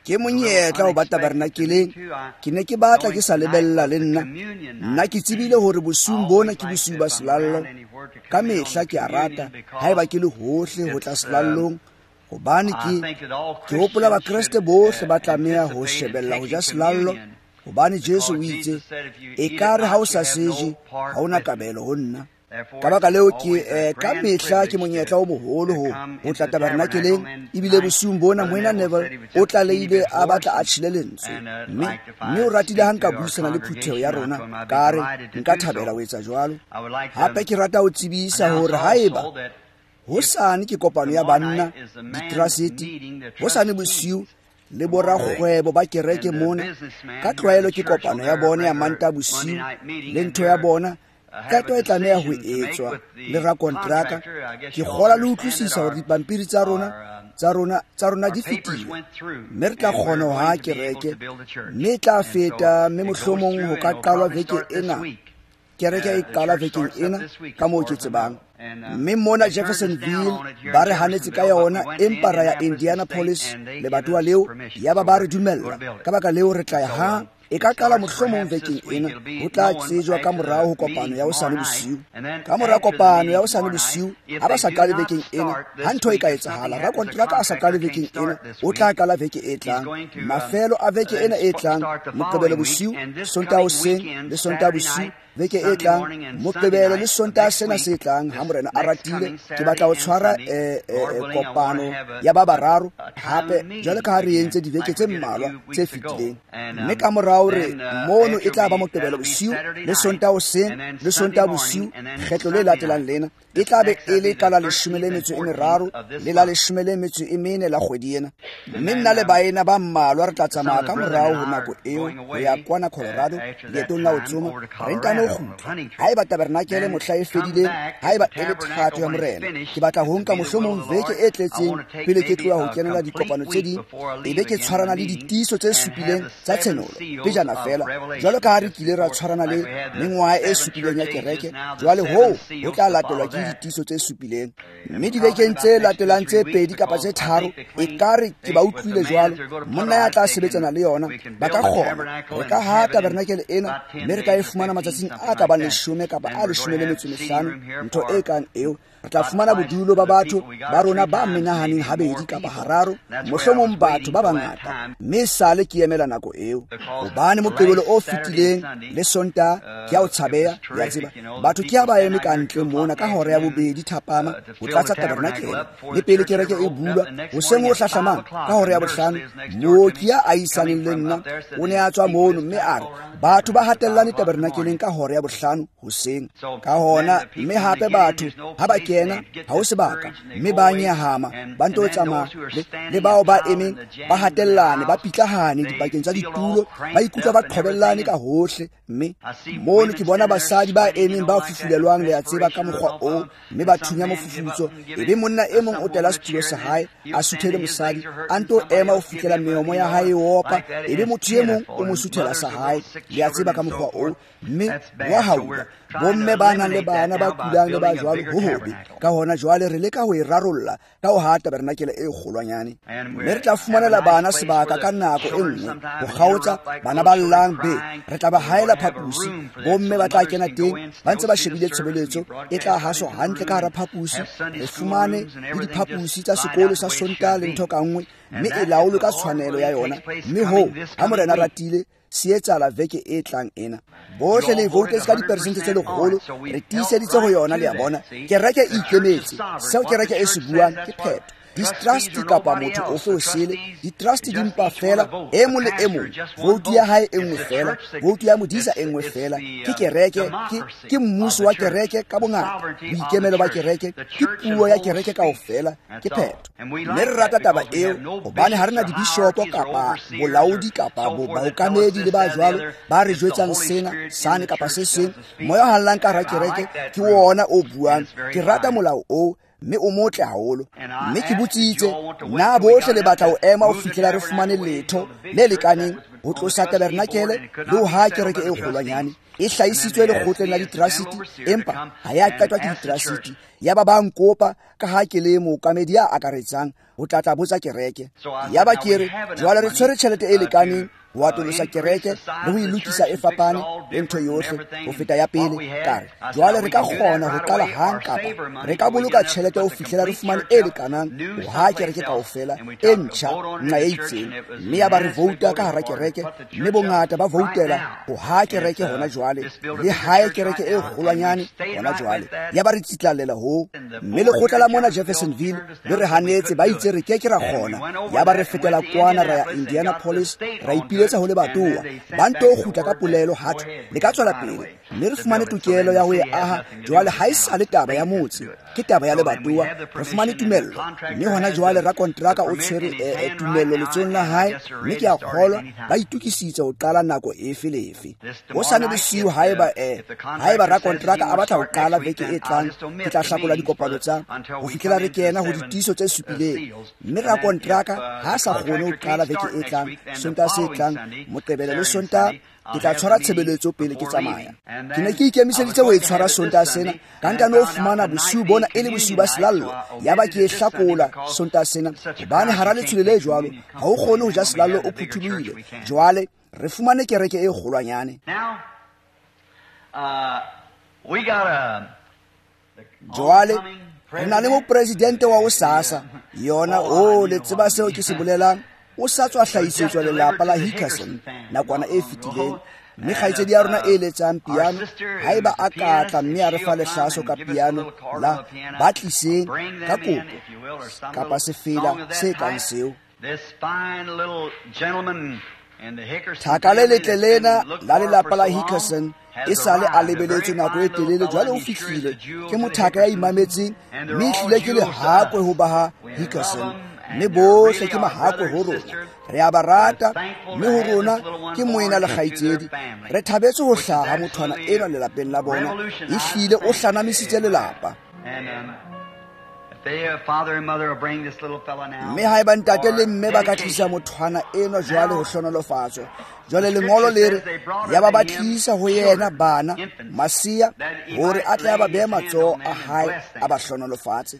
Ke monyetla ho ba tabernakeleng. Ke ne ke batla ke sa lebella le nna. Nna ke tsebile hore bosiung bona ke bosiu ba selallo. Ka mehla ke a rata haeba ke le hohle ho tla selallong, hobane ke hopola Bakreste bohle ba tlameha ho shebella ho ja selallo, hobane Jesu o itse, ekare ha o sa seje, ha o na kabelo ho nna. Ka baka leo ke ka mehla ke monyetla o moholo ho tla tabernakeleng. Ebile bosiung bona Moena Neville o tlalehile a batla a tjhele lentswe, mme o ratile ha nka buisana le phutheho ya rona, ka re nka thabela ho etsa jwalo. Hape ke rata ho tsebisa hore haeba hosane ke kopano ya banna ditrasete, hosane bosiu le borakgwebo ba kereke mona, ka tlwaelo ke kopano ya bona ya Mantaha bosiu le ntho ya bona, qeto e tlameha ho etswa le rakontraka. Ke kgola le utlwisisa hore dipampiri tsa rona di fetile, mme re tla kgona ho haha kereke, mme e tla feta, mme mohlomong ho ka qalwa veke ena. Kereke e qala vekeng ena, ka moo ke tsebang. Mme mona Jeffersonville ba re hanetse ka yona, empa ra ya Indianapolis lebatowa leo, yaba ba re dumella. Ka baka leo re tla ya ha e ka qala mohlomong vekeng ena, ho tla tsejwa ka morao ho kopano ya hosane bosiu. Ka mora kopano ya hosane bosiu, ha ba sa qale vekeng ena, ha ntho e ka etsahala, rakontraka a sa qale vekeng ena, o tla qala veke e tlang. Mafelo a veke ena e tlang, Moqebelo bosiu, Sontaha hoseng le Sontaha bosiu, veke e tlang, Moqebelo le Sontaha sena se tlang, ha Morena a ratile, ke batla ho tshwara kopano ya ba bararo hape, jwalo ka ha re entse dibeke tse mmalwa tse fetileng. Mme ka morao re mono e tla ba Moqebelo bosiu le Sontaha hoseng le Sontaha bosiu, kgetlo le latelang lena e tla be e le ka la 13 le la 14 la kgwedi ena. Mme nna le baena ba mmalwa re tla tsamaya ka morao ho nako eo ho ya kwana Colorado leetong la ho tsoma, re ntano kgutla. Haeba tabernakele mohla e fedileng, haeba e le thato ya Morena, ke batla ho nka mohlomong veke e tletseng pele ke tloha ho kenela dikopano tse ding, e be ke tshwarana le ditiiso tse supileng tsa tshenolo pejana fela, jwalo ka ha re kile ra tshwarana le mengwaha e supileng ya kereke. Jwale hoo ho tla latelwa ke ditiiso tse supileng. Mme dibekeng tse latelang tse 2 kapa tse 3, ekare ke ba utlwile jwalo, monna ya tla sebetsana le yona, ba ka kgona. Re ka ha tabernakele ena, mme re ka e fumana matsatsing a ka bang 10 kapa a 15, ntho e kang eo. Re tla fumana bodulo ba batho ba rona ba menahaneng habedi kapa hararo, mohlomong batho ba bangata. Mme sale ke emela nako eo, hobane Moqebelo o fetileng le Sontaha ke a o tshabeha, ya tseba, batho ke ha ba eme ka ntle mona ka hora ya 2 thapama ho tlatsa tabernakele, le pele kereke e bulwa hoseng ho hlahlamang ka hora ya 5, mooki ya ahisaneng le nna o ne a tswa mono mme a re batho ba hatellane tabernakeleng ka hora ya 5 hoseng. Ka hona, mme hape batho ha ba kena ha ho sebaka, mme ba nyahama, ba nto tsamaya le bao ba emeng ba hatellane, ba pitlahane dipakeng tsa ditulo, ba ikutlwa ba qhobellane ka hohle. Mme mono ke bona basadi ba emeng ba fufulelwang, le a tseba, ka mokgwa oo, mme ba thunya mofufutso. Ebe monna e mong o tela setulo sa hae, a suthele mosadi, a nto ema ho fihlela meomo ya hae e opa, ebe motho e mong o mo suthela sa hae, le a tseba, ka mokgwa oo, mme wa haula. Bomme ba nang le bana ba kulang le ba jwalo, ho hobe. Ka hona jwale re leka ho e rarolla ka ho haha tabernakele e kgolwanyane, mme re tla fumanela bana sebaka ka nako e nngwe ho kgaotsa bana ba llang be re tla ba haela phaposi, bomme ba tla kena teng ba ntse ba shebile tshebeletso e tla haswa hantle ka hara phaposi. Re fumane le diphaposi tsa sekolo sa Sontaha le ntho ka nngwe, mme e laolwe ka tshwanelo ya yona. Mme hoo, ha Morena ratile, se etsahala veke e tlang ena. Bohle le voutetse ka diperesente tse 100, re tiiseditse ho yona, le a bona. Kereke e ikemetse. Seo kereke e se buang ke phetho. Ditrust kapa motho ofe o sele, ditrust di mpa fela, e mong le e mong, voutu ya hae e nngwe fela, voutu ya modisa e nngwe fela. Ke kereke, ke mmuso wa kereke ka bongata, boikemelo ba kereke, ke puo ya kereke kaofela, ke phetho. Mme re rata taba eo, hobane ha re na dibishopo kapa bolaodi kapa baokamedi le ba jwalo ba re jwetsang sena, sane kapa se seng. Moya o hallang ka hara kereke ke wona o buang. Ke rata molao oo, mme o motle haholo. Mme ke botsitse, na bohle le batla ho ema ho fihlela re fumane letho le lekaneng ho tlosa tabernakele le ho haha kereke e kgolwanyane e hlahisitswe lekgotleng la ditrasiti, empa ha ya qetwa ke ditrasiti. Yaba ba nkopa ka ha ke le mookamedi ya akaretsang ho tla botsa kereke. Yaba ke re jwale re tshwere tjhelete e lekaneng ho atolosa kereke le ho e lokisa e fapane le ntho yohle ho feta ya pele. Ka re jwale re ka kgona ho qala hang kapa re ka boloka tjhelete ho fihlela re fumane e lekanang ho haha kereke kaofela e ntjha nqa e itseng. Mme yaba re vouta ka hara kereke, mme bongata ba voutela ho haha kereke hona jwale le hae kereke e kgolwanyane hona jwale. Yaba re tsitlallela ho, mme lekgotla la mona Jeffersonville le re hanetse, ba itse re ke ke ra kgona. Yaba re fetela kwana ra ya Indianapolis, ra ipiletsa ho lebatowa, ba nto kgutla ka polelo hathwe le ka tswela pele, mme re fumane tokelo ya ho e aha. Jwale ha e sa le taba ya motse, ke taba ya lebatowa. Re fumane tumello, mme hona jwale rakontraka o tshwere tumello letsohong la hae, mme ke a kgolwa ba itokisitse ho qala nako efe le efe. Hosane bosiu haeba rakontraka a batla ho qala veke e tlang, ke tla hlakola dikopano tsa ho fihlela re kena ho ditiiso tse supileng. Mme rakontraka ha sa kgone ho qala veke e tlang, Sontaha se tlang, Moqebelo le Sontaha, ke tla tshwara tshebeletso pele ke tsamaya. Ke ne ke ikemiseditse ho e tshwara Sontaha sena, ka ntano ho fumana bosiu bona e le bosiu ba selallo. Yaba ke e hlakola Sontaha sena, hobane hara letshwele le jwalo ha o kgone ho ja selallo o phuthulohile. Jwale re fumane kereke e kgolwanyane. Jwale re na le mopresidente wa hosasa yona. O le tseba seo ke se bolelang. O sa tswa hlahisetswa lelapa la Hickerson nakwana e fetileng, mme kgaitsedi ya rona e letsang piano, haeba a ka tla mme a re fa lehlaso ka piano la ba tliseng ka kopo kapa sefela se kang seo. Thaka le letle lena la lelapa la Hickerson e sale a lebeletswe nako e telele, jwale o fihlile. Ke mothaka ya imametseng, mme ehlile ke lehakwe ho ba ha Hickerson, mme bohle ke mahakwe ho rona. Re a ba rata, mme ho rona ke moena le kgaitsedi. Re thabetse ho hlaha mothwana enwa lelapeng la bona. Ehlile o hlanamisitse lelapa. Mme haeba ntate le mme ba ka tlisa mothwana enwa jwale ho hlonolofatswa. Jwale lengolo le re yaba ba tlisa ho yena bana masea hore a tle a ba behe matsoho a hae a ba hlonolofatse.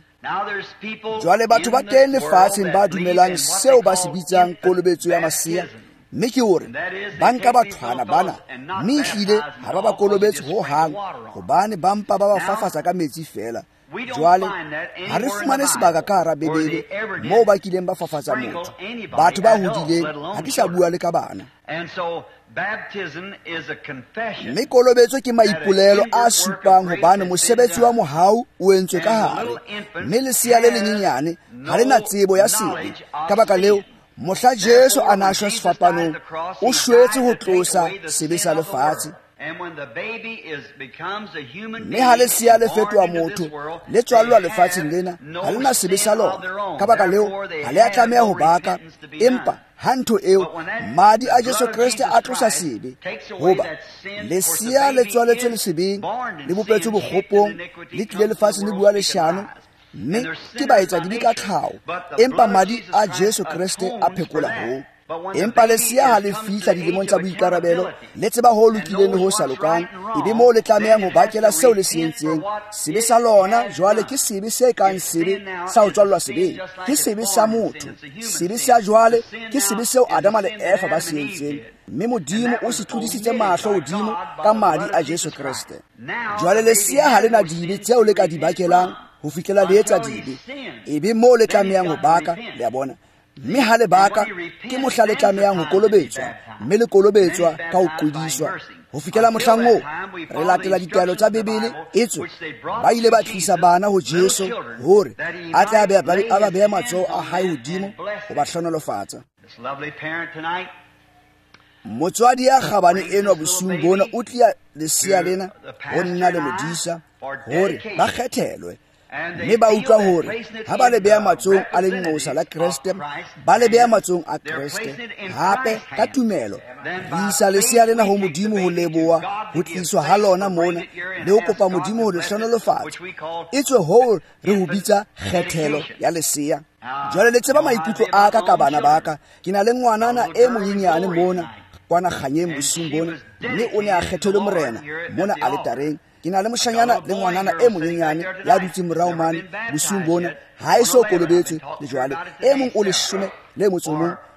Jwale batho ba teng lefatsheng ba dumelang seo ba se bitsang kolobetso ya masea, mme ke hore ba nka bathwana bana, mme ehlile ha ba ba kolobetse ho hang, hobane ba mpa ba ba fafatsa ka metsi feela. Jwale ha re fumane sebaka ka hara Bibele moo ba kileng ba fafatsa motho. Batho ba hodileng, ha ke sa bua le ka bana. Mme kolobetso ke maipolelo a supang hobane mosebetsi wa mohau o entswe ka hare, mme lesea le lenyenyane ha le na tsebo ya sebe. Ka baka leo, mohla Jesu a na shwa sefapanong, o shwetse ho tlosa sebe sa lefatshe. Mme ha lesea le fetoha motho, le tswallwa lefatsheng lena, ha le na sebe sa lona. Ka baka leo, ha le a tlameha ho baka, empa ha ntho eo, madi a Jesu Kreste a tlosa sebe. Hoba lesea le tswaletswe le sebeng, le bopetswe bokgopong, le tlile lefatsheng le bua leshano, mme ke baetsadibe ka tlhaho, empa madi a Jesu Kreste a phekola hoo. Empa lesea ha le fihla dilemong tsa boikarabelo, le tseba ho lokileng le ho sa lokang, ebe moo le tlamehang ho bakela seo le se entseng. Sebe sa lona jwale ke sebe se kang sebe sa ho tswallwa sebeng, ke sebe sa motho. Sebe sa jwale ke sebe seo Adama le Eva ba se entseng, mme Modimo o se tlodisitse mahlo hodimo ka madi a Jesu Kreste. Jwale lesea ha le na dibe tseo le ka di bakelang ho fihlela le etsa dibe, ebe moo le tlamehang ho baka, le a bona. Mme ha le baka, ke mohla le tlamehang ho kolobetswa, mme le kolobetswa ka ho qwediswa. Ho fihlela mohlang oo, re latela ditaelo tsa Bibele, etswe ba ile ba tlisa bana ho Jesu hore a tle a ba behe matsoho a hae hodimo ho ba hlonolofatsa. Motswadi ya kgabane enwa bosiung bona o tlia lesea lena ho nna le modisa hore ba kgethelwe. Mme ba utlwa hore ha ba le beha matsohong a lenqosa la Kreste, ba le beha matsohong a Kreste. Hape ka tumelo re isa lesea lena ho Modimo ho leboha ho tliswa ha lona mona le ho kopa Modimo ho le hlonolofatsa. Etswe hoo re ho bitsa kgethelo ya lesea. Jwale le tseba maikutlo a ka ka bana ba ka. Ke na le ngwanana e monyenyane mona, kwana kganyeng bosiung bona, mme o ne a kgethelwe Morena mona aletareng. Ke na le moshanyana le ngwanana e monyenyane ya dutseng morao mane bosiung bona, ha e so kolobetswe le jwale. E mong o 11,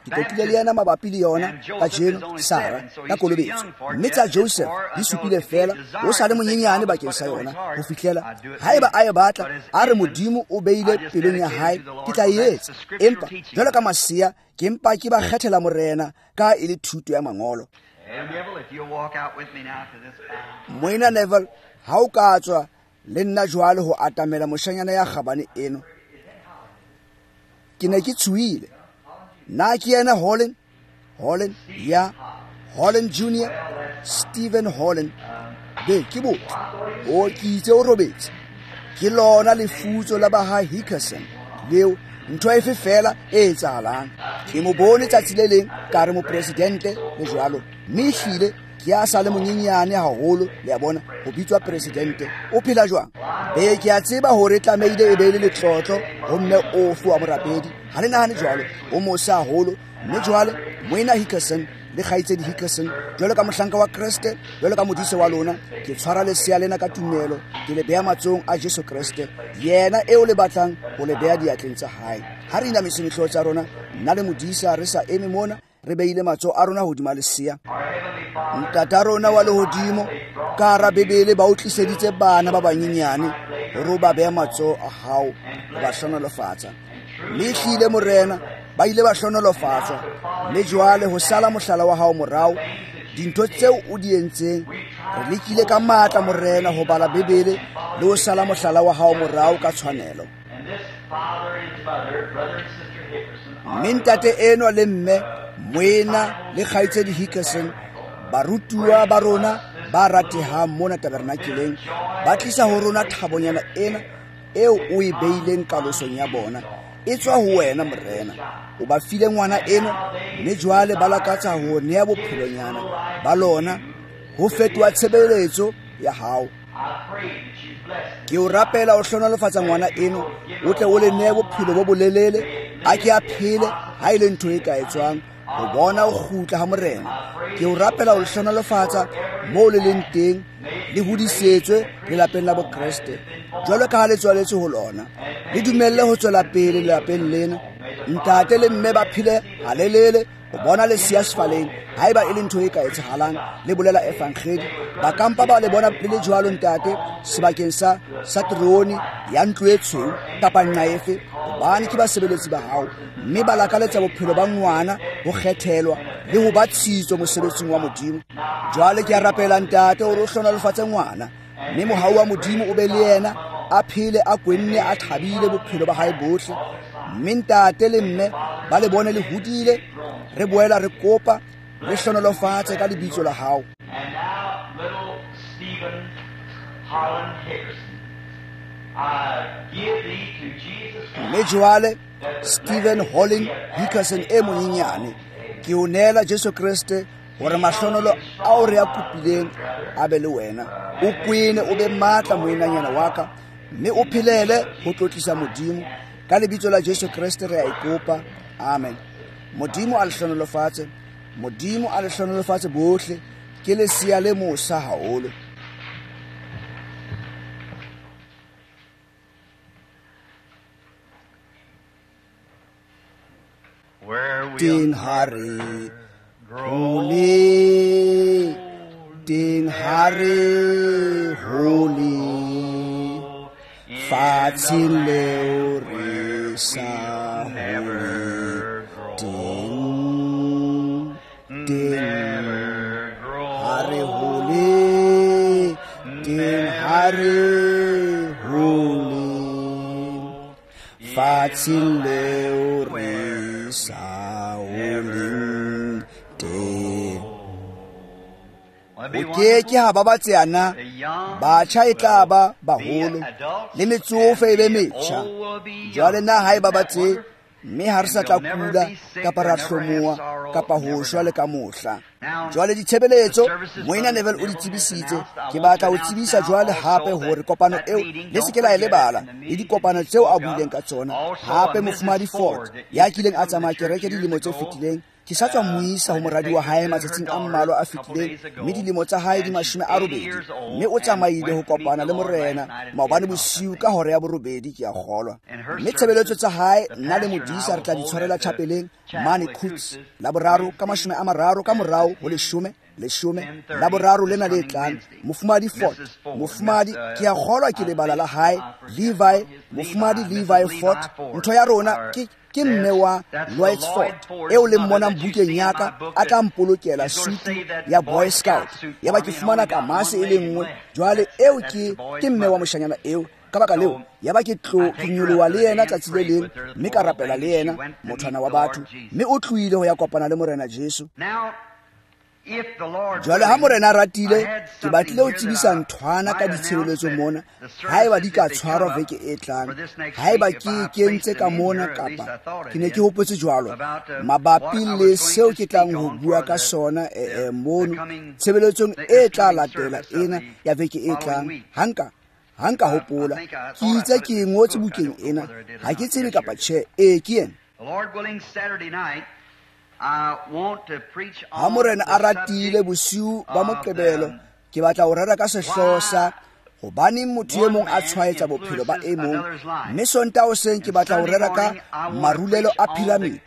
ke qoqile le yena mabapi le yona kajeno, Sara, ka kolobetso. Mme tsa Joseph di supile fela, o sa le monyenyane bakeng sa yona ho fihlela haeba a e batla, a re Modimo o beile pelong ya hae, ke tla e etsa. Empa jwalo ka masea, ke mpa ke ba kgethela Morena ka e le thuto ya mangolo. Moena Neville, ha o ka tswa le nna jwale ho atamela moshanyana ya kgabane eno. Ke ne ke tshohile. Na ke yena Holland? Holland, ya. Holland Junior, Stephen Holland. Be, ke botle. O ke itse o robetse. Ke lona lefutso la ba ha Hickerson leo, ntho efe fela e etsahalang. Ke mo bone tsatsi le leng, ka re mopresidente le jwalo. Mme ehlile ke a sa le monyenyane haholo, le a bona, ho bitswa presidente. O phela jwang? Be, ke a tseba hore tlamehile e be le letlotlo ho mme ofe wa morapedi. Ha le nahane jwalo, o mosa haholo. Mme jwale Moena Hickerson le kgaitsedi Hickerson, jwalo ka mohlanka wa Kreste, jwalo ka modise wa lona, ke tshwara lesea lena ka tumelo, ke le beha matsohong a Jesu Kreste, yena eo le batlang ho le beha diatleng tsa hae. Ha re inamisa dihlooho tsa rona, nna le modisa re sa eme mona, re beile matsoho a rona hodima lesea. Ntata rona wa lehodimo, ka hara Bibele ba o tliseditse bana ba banyenyane hore o ba behe matsoho a hao ho ba hlohonolofatsa. Mme ehlile Morena, ba ile ba hlohonolofatswa. Mme jwale ho sala mohlala wa hao morao, dintho tseo o di entseng, re lekile ka matla Morena ho bala Bibele le ho sala mohlala wa hao morao ka tshwanelo. Mme ntate enwa le mme, moena le kgaitsedi Hickerson, barutuwa ba rona ba ratehang mona tabernakeleng, ba tlisa ho rona thabonyana ena eo o e beileng kalosong ya bona. E tswa ho wena Morena. O ba file ngwana eno, mme jwale ba lakatsa ho nea bophelonyana ba lona ho fetoha tshebeletso ya hao. Ke o rapela o hlohonolofatsa ngwana eno, o tle o le nee bophelo bo bolelele, a ke a phele ha e le ntho e ka etswang ho bona o kgutla ha Morena. Ke o rapela o hlohonolofatsa moo le leng teng, le hodisetswe lelapeng la Bokreste jwalo ka ha le tswaletswe ho lona. Le dumelle ho tswela pele lelapeng lena. Ntate le mme ba phele halelele ho bona lesea sefaleng, haeba e le ntho e ka etsahalang, le bolela evangedi. Ba kampa ba le bona le le jwalo ntate sebakeng sa terone ya ntlo e tshweu kapa nqa efe, hobane ke basebeletsi ba hao, mme ba lakaletsa bophelo ba ngwana ho kgethelwa le ho ba tshitso mosebetsing wa Modimo. Jwale ke a rapela ntate hore o hlohonolofatse ngwana, mme mohau wa Modimo o be le yena, a phele a kwenne a thabile bophelo ba hae bohle. Mme ntate le mme ba le bone le hodile, re boela re kopa le hlohonolofatse ka lebitso la hao. Mme jwale Stephen Holland Hickerson e monyenyane, ke o neela Jesu Kreste hore mahlonolo ao re a kopileng a be le wena. O kwene o be matla moenanyana wa ka, mme o phelele ho tlotlisa Modimo. Ka lebitso la Jesu Kreste re a e kopa. Amen. Modimo a le hlohonolofatse. Modimo a le hlohonolofatse bohle. Ke lesea le mosa haholo. Teng ha re hole, teng ha re hole, fatsheng leo re sa hole teng, teng ha re hole, teng ha re hole, fatsheng leo re sa holeng teng. O ke ke ha ba batseana, batjha e tla ba baholo, le metsofe e be metjha. Jwale na ha e ba batse, mme ha re sa tla kula kapa ra hlomoha kapa ho shwa le ka mohla. Jwale ditshebeletso Moena Neville o di tsebisitse. Ke batla ho tsebisa jwale hape hore kopano eo le se ke la e lebala, le dikopano tseo a buileng ka tsona. Hape Mofumahadi Ford ya kileng a tsamaya kereke dilemo tse fetileng, Ke sa tswa moisa ho moradi wa hae matsatsing a mmalwa a fetileng, mme dilemo tsa hae di 80, mme o tsamaile ho kopana le Morena maobane bosiu ka hora ya 8, ke a kgolwa. Mme tshebeletso tsa hae nna le modisa re tla di tshwarela chapeleng mane Coots la boraro ka 30 ka morao ho 10 la boraro lena le tlang. Mofumadi Ford, mofumadi ke a kgolwa ke lebala la hae Levi, mofumadi Levi Ford. Ntho ya rona ke mme wa Lloyd Ford eo le mmonang bukeng ya ka, a tla mpolokela sutu ya Boy Scout. Ya ba ke fumana kamase e le nngwe. Jwale eo ke mme wa moshanyana eo. Ka baka leo ya ba ke tlo ke nyoloha le yena tsatsi le leng, mme ka rapela le yena, mothwana wa batho, mme o tlohile ho ya kopana le Morena Jesu. Jwale ha Morena a ratile, ke batlile ho tsebisa nthwana ka ditshebeletso mona, haeba di ka tshwarwa veke e tlang, haeba ke kentse ka mona kapa ke ne ke hopotse jwalo mabapi le seo ke tlang ho bua ka sona mono tshebeletsong e tla latela ena ya veke e tlang. Ha nka hopola, ke itse ke ngotse bukeng ena, ha ke tsebe kapa tjhe. Ee, ke ena. Ha Morena a ratile, bosiu ba Moqebelo ke batla ho rera ka sehlooho sa hobaneng motho e mong a tshwaetsa bophelo ba e mong, mme Sontaha hoseng ke batla ho rera ka marulelo a piramidi.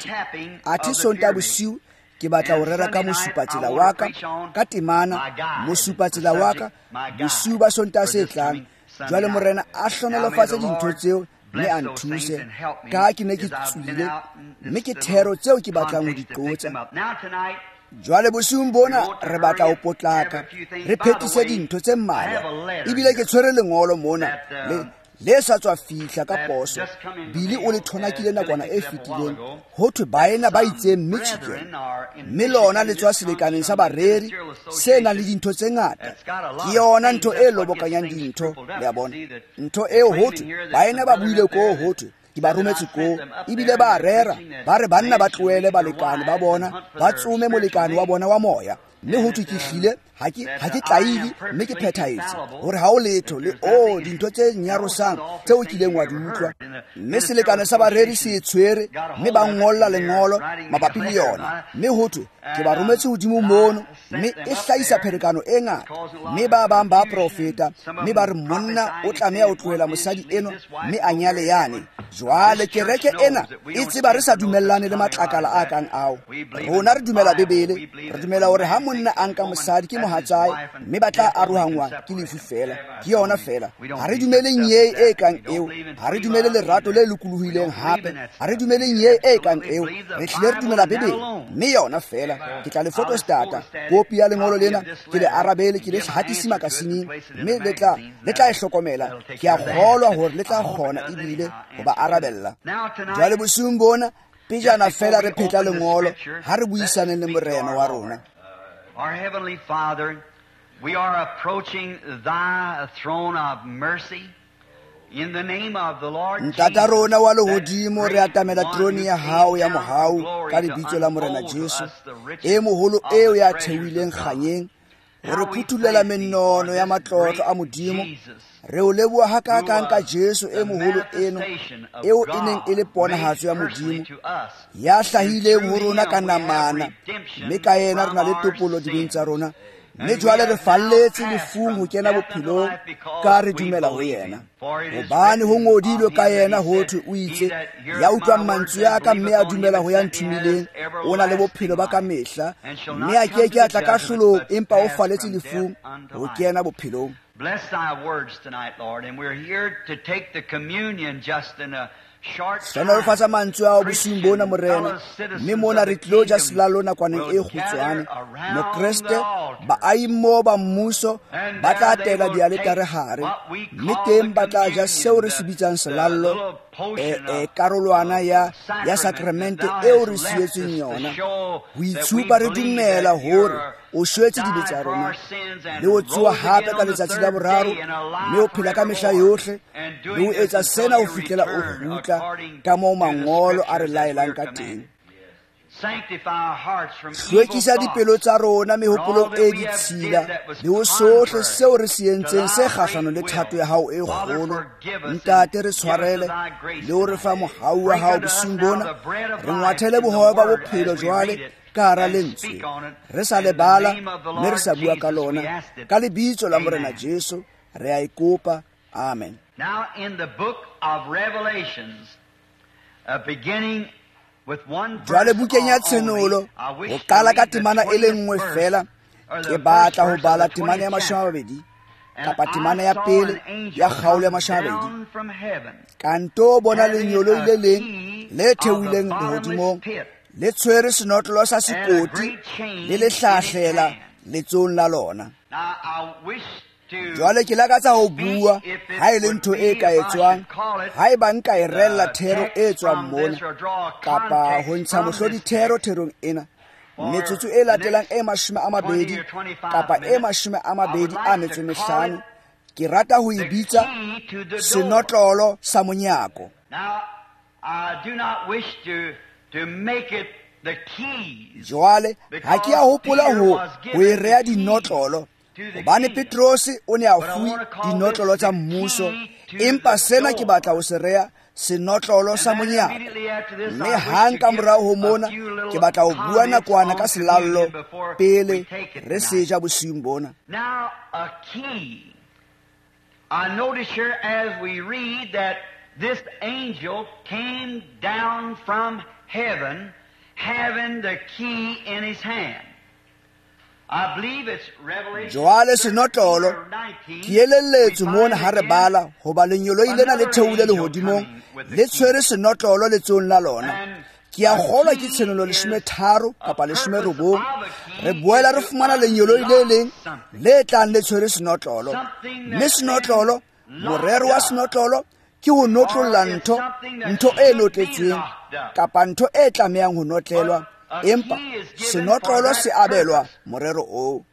Athe Sontaha bosiu ke batla ho rera ka mosupatsela wa ka, ka temana mosupatsela wa ka bosiu ba Sontaha se tlang. Jwale Morena a hlonolofatse dintho tseo mme a nthuse, ka ke ne ke tswile, mme ke thero tseo ke batlang ho di qotsa. Jwale bosiung bona re batla ho potlaka, re phetise dintho tse mmalwa. Ebile ke tshwere lengolo mona le sa tswa fihla ka poso. Billy o le thonakile nakwana e fetileng, ho thwe baena ba itseng Michigan, mme lona le tswa selekaneng sa bareri se nang le dintho tse ngata. Ke yona ntho e lobokanyang dintho, le a bona. Ntho eo ho thwe baena ba buile koo, ho thwe ke ba rometse koo, ebile ba rera ba re banna ba tlohele balekane ba bona, ba tsome molekane wa bona wa moya. Mme ho thwe ke hlile ha ke tlaile, mme ke phethahetse hore ha o letho le o dintho tse nyarosang tseo o kileng wa di utlwa. Mme selekane sa bareri se e tshwere, mme ba ngolla lengolo mabapi le yona. Mme ho thwe ke ba rometse hodimo mono, mme e hlahisa pherekano e ngata. Mme ba bang ba profeta, mme ba re monna o tlameha ho tlohela mosadi eno mme a nyale yane. Jwale kereke ena e tseba re sa dumellane le matlakala a kang ao. Rona re dumela Bibele, re dumela hore ha monna a nka mosadi ke mohatsae, mme ba tla arohangwa ke lefu fela, ke yona fela. Ha re dumele nyee e kang eo, ha re dumele lerato le lokolohileng hape, ha re dumele nyee e kang eo. Re hlile re dumela Bibele, mme yona fela. Ke tla le photostata kopi ya lengolo lena, ke le arabele, ke le hatise makasineng, mme le tla e hlokomela. Ke a kgolwa hore le tla kgona ebile ho ba arabella. Jwale bosiung bona, pejana fela re phetla lengolo, ha re buisaneng le Morena wa rona. Our Heavenly Father, we are approaching Thy throne of mercy in the name of the Lord Jesus. Ntata rona wa lehodimo, re atamela terone ya hao ya mohau ka lebitso la Morena Jesu, e moholo eo ya theohileng kganyeng, ho re phuthulela menono ya matlotlo a Modimo. Re o leboha hakakang ka Jesu e moholo eno, eo e neng e le ponahatso ya Modimo, ya hlahileng ho rona ka namana, mme ka yena re na le topollo dibeng tsa rona. Mme jwale re falletse lefung ho kena bophelong, ka re dumela ho yena. Hobane ho ngodilwe ka yena ho thwe o itse, ya utlwang mantswe a ka mme a dumela ho ya nthomileng, o na le bophelo ba ka mehla, mme a ke ke a tla kahlolong, empa o falletse lefung ho kena bophelong. Bless thy words tonight, Lord, and we're here to take the communion just in a short time. Hlonolofatsa mantswe ao bosiung bona, Morena, mme mona re tlo ja selallo nakwaneng e kgutshwane. Mokreste, baahi mmoho ba mmuso ba tla tela dialetare hare, mme teng ba tla ja seo re se bitsang selallo, karolwana ya sakramente eo re sietsweng yona. Ho itshupa re dumela hore o shwetse dibe tsa rona, le ho tsoha hape ka letsatsi la boraro, mme o phela ka mehla yohle, le ho etsa sena ho fihlela o kgutla ka moo mangolo a re laelang ka teng. Hlwekisa dipelo tsa rona mehopolong e ditshila le ho sohle seo re se entseng se kgahlano le thato ya hao e kgolo. Ntate, re tshwarele le ho re fa mohau wa hao bosiung bona. Re ngwathele bohobe ba bophelo jwale ka hara lentswe, re sa lebala mme re sa bua ka lona. Ka lebitso la Morena Jesu re a ikopa, amen. Now in the book of Revelations, beginning Jwale bukeng ya Tshenolo, ho qala ka temana e le nngwe fela, ke batla ho bala temana ya 20 kapa temana ya pele ya kgaolo ya 20. Ka nto bona lenyoloi le leng le theohileng lehodimong, le tshwere senotlolo sa sekoti le le hlahlela letsohong la lona. Jwale ke lakatsa ho bua ha e le ntho e ka etswang, haeba nka e rella thero e tswang mona, kapa ho ntsha mohlodi thero therong ena, metsotso e latelang e 20 kapa e 25, ke rata ho e bitsa senotlolo sa monyako. Jwale ha ke a hopola ho e rea dinotlolo, hobane Petrose o ne a fuwe dinotlolo tsa mmuso, empa sena ke batla ho se rea senotlolo sa monyako. Mme hang ka morao ho mona ke batla ho bua nakwana ka selallo pele re se ja bosiung bona. Now a key. I notice here as we read that this angel came down from heaven having the key in his hand. Jwale senotlolo ke elelletswe mona ha re bala hoba lenyoloi lena le theohile lehodimong le tshwere senotlolo letsohong la lona. Ke a kgolwa ke Tshenolo 13 kapa 19. Re boela re fumana lenyoloi le leng le tlang le tshwere senotlolo. Mme senotlolo, morero wa senotlolo ke ho notlolla ntho, ntho e notletsweng kapa ntho e tlamehang ho notlelwa. Empa senotlolo se abelwa morero oo.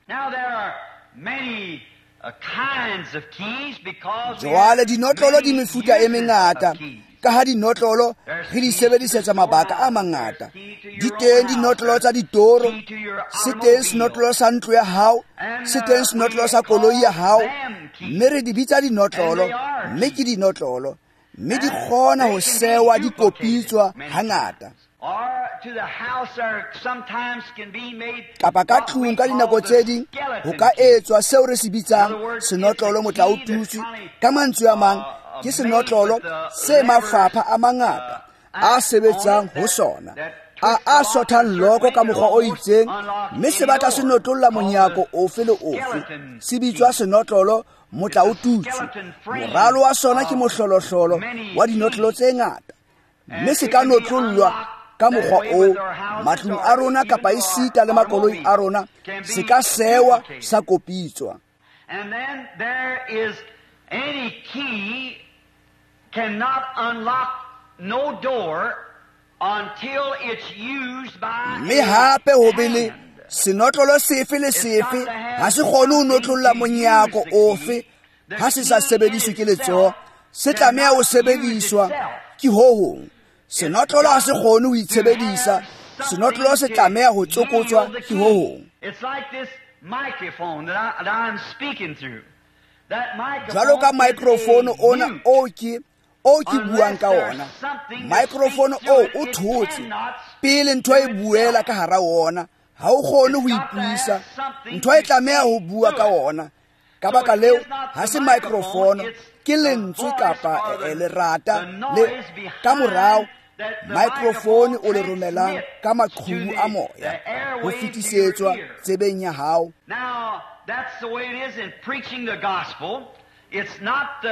Jwale dinotlolo di mefuta e mengata, ka ha dinotlolo re di sebedisetsa mabaka a mangata. Di teng dinotlolo tsa ditoro, se teng senotlolo sa ntlo ya hao, se teng senotlolo sa koloi ya hao, mme re di bitsa dinotlolo, mme ke dinotlolo, mme di kgona ho sewa di kopitswa hangata. Kapa ka tlung ka dinako tse ding ho ka etswa seo re se bitsang senotlolo motla o tutswe. Ka mantswe a mang, ke senotlolo se mafapha a mangata a sebetsang ho sona, a sothang loko ka mokgwa o itseng, mme se batla se notlolla monyako ofe le ofe. Se bitswa senotlolo motla o tutswe. Moralo wa sona ke mohlolohlolo wa dinotlolo tse ngata, mme se ka notlollwa ka mokgwa oo matlung a rona kapa esita le makoloi a rona, se ka sewa sa kopitswa. And then there is any key cannot unlock no door until it's used by Mme hape ho be le senotlolo sefe le sefe ha se kgone ho notlolla monyako ofe ha se sa sebediswe ke letsoho, se tlameha ho sebediswa ke ho hong. Senotlolo ha se kgone ho itshebedisa, senotlolo se tlameha ho tsokotswa ke ho hong. Jwalo ka microphone ona o ke buang ka ona, microphone o o thotse pele ntho e buela ka hara ona, ha o kgone ho ipuisa, ntho e tlameha ho bua ka ona. Ka baka leo ha se microphone, ke lentswe kapa lerata le ka morao microphone o le romelang ka maqhubu a moya ho fetisetswa tsebeng ya hao. Now that's the way it is in preaching the gospel. It's not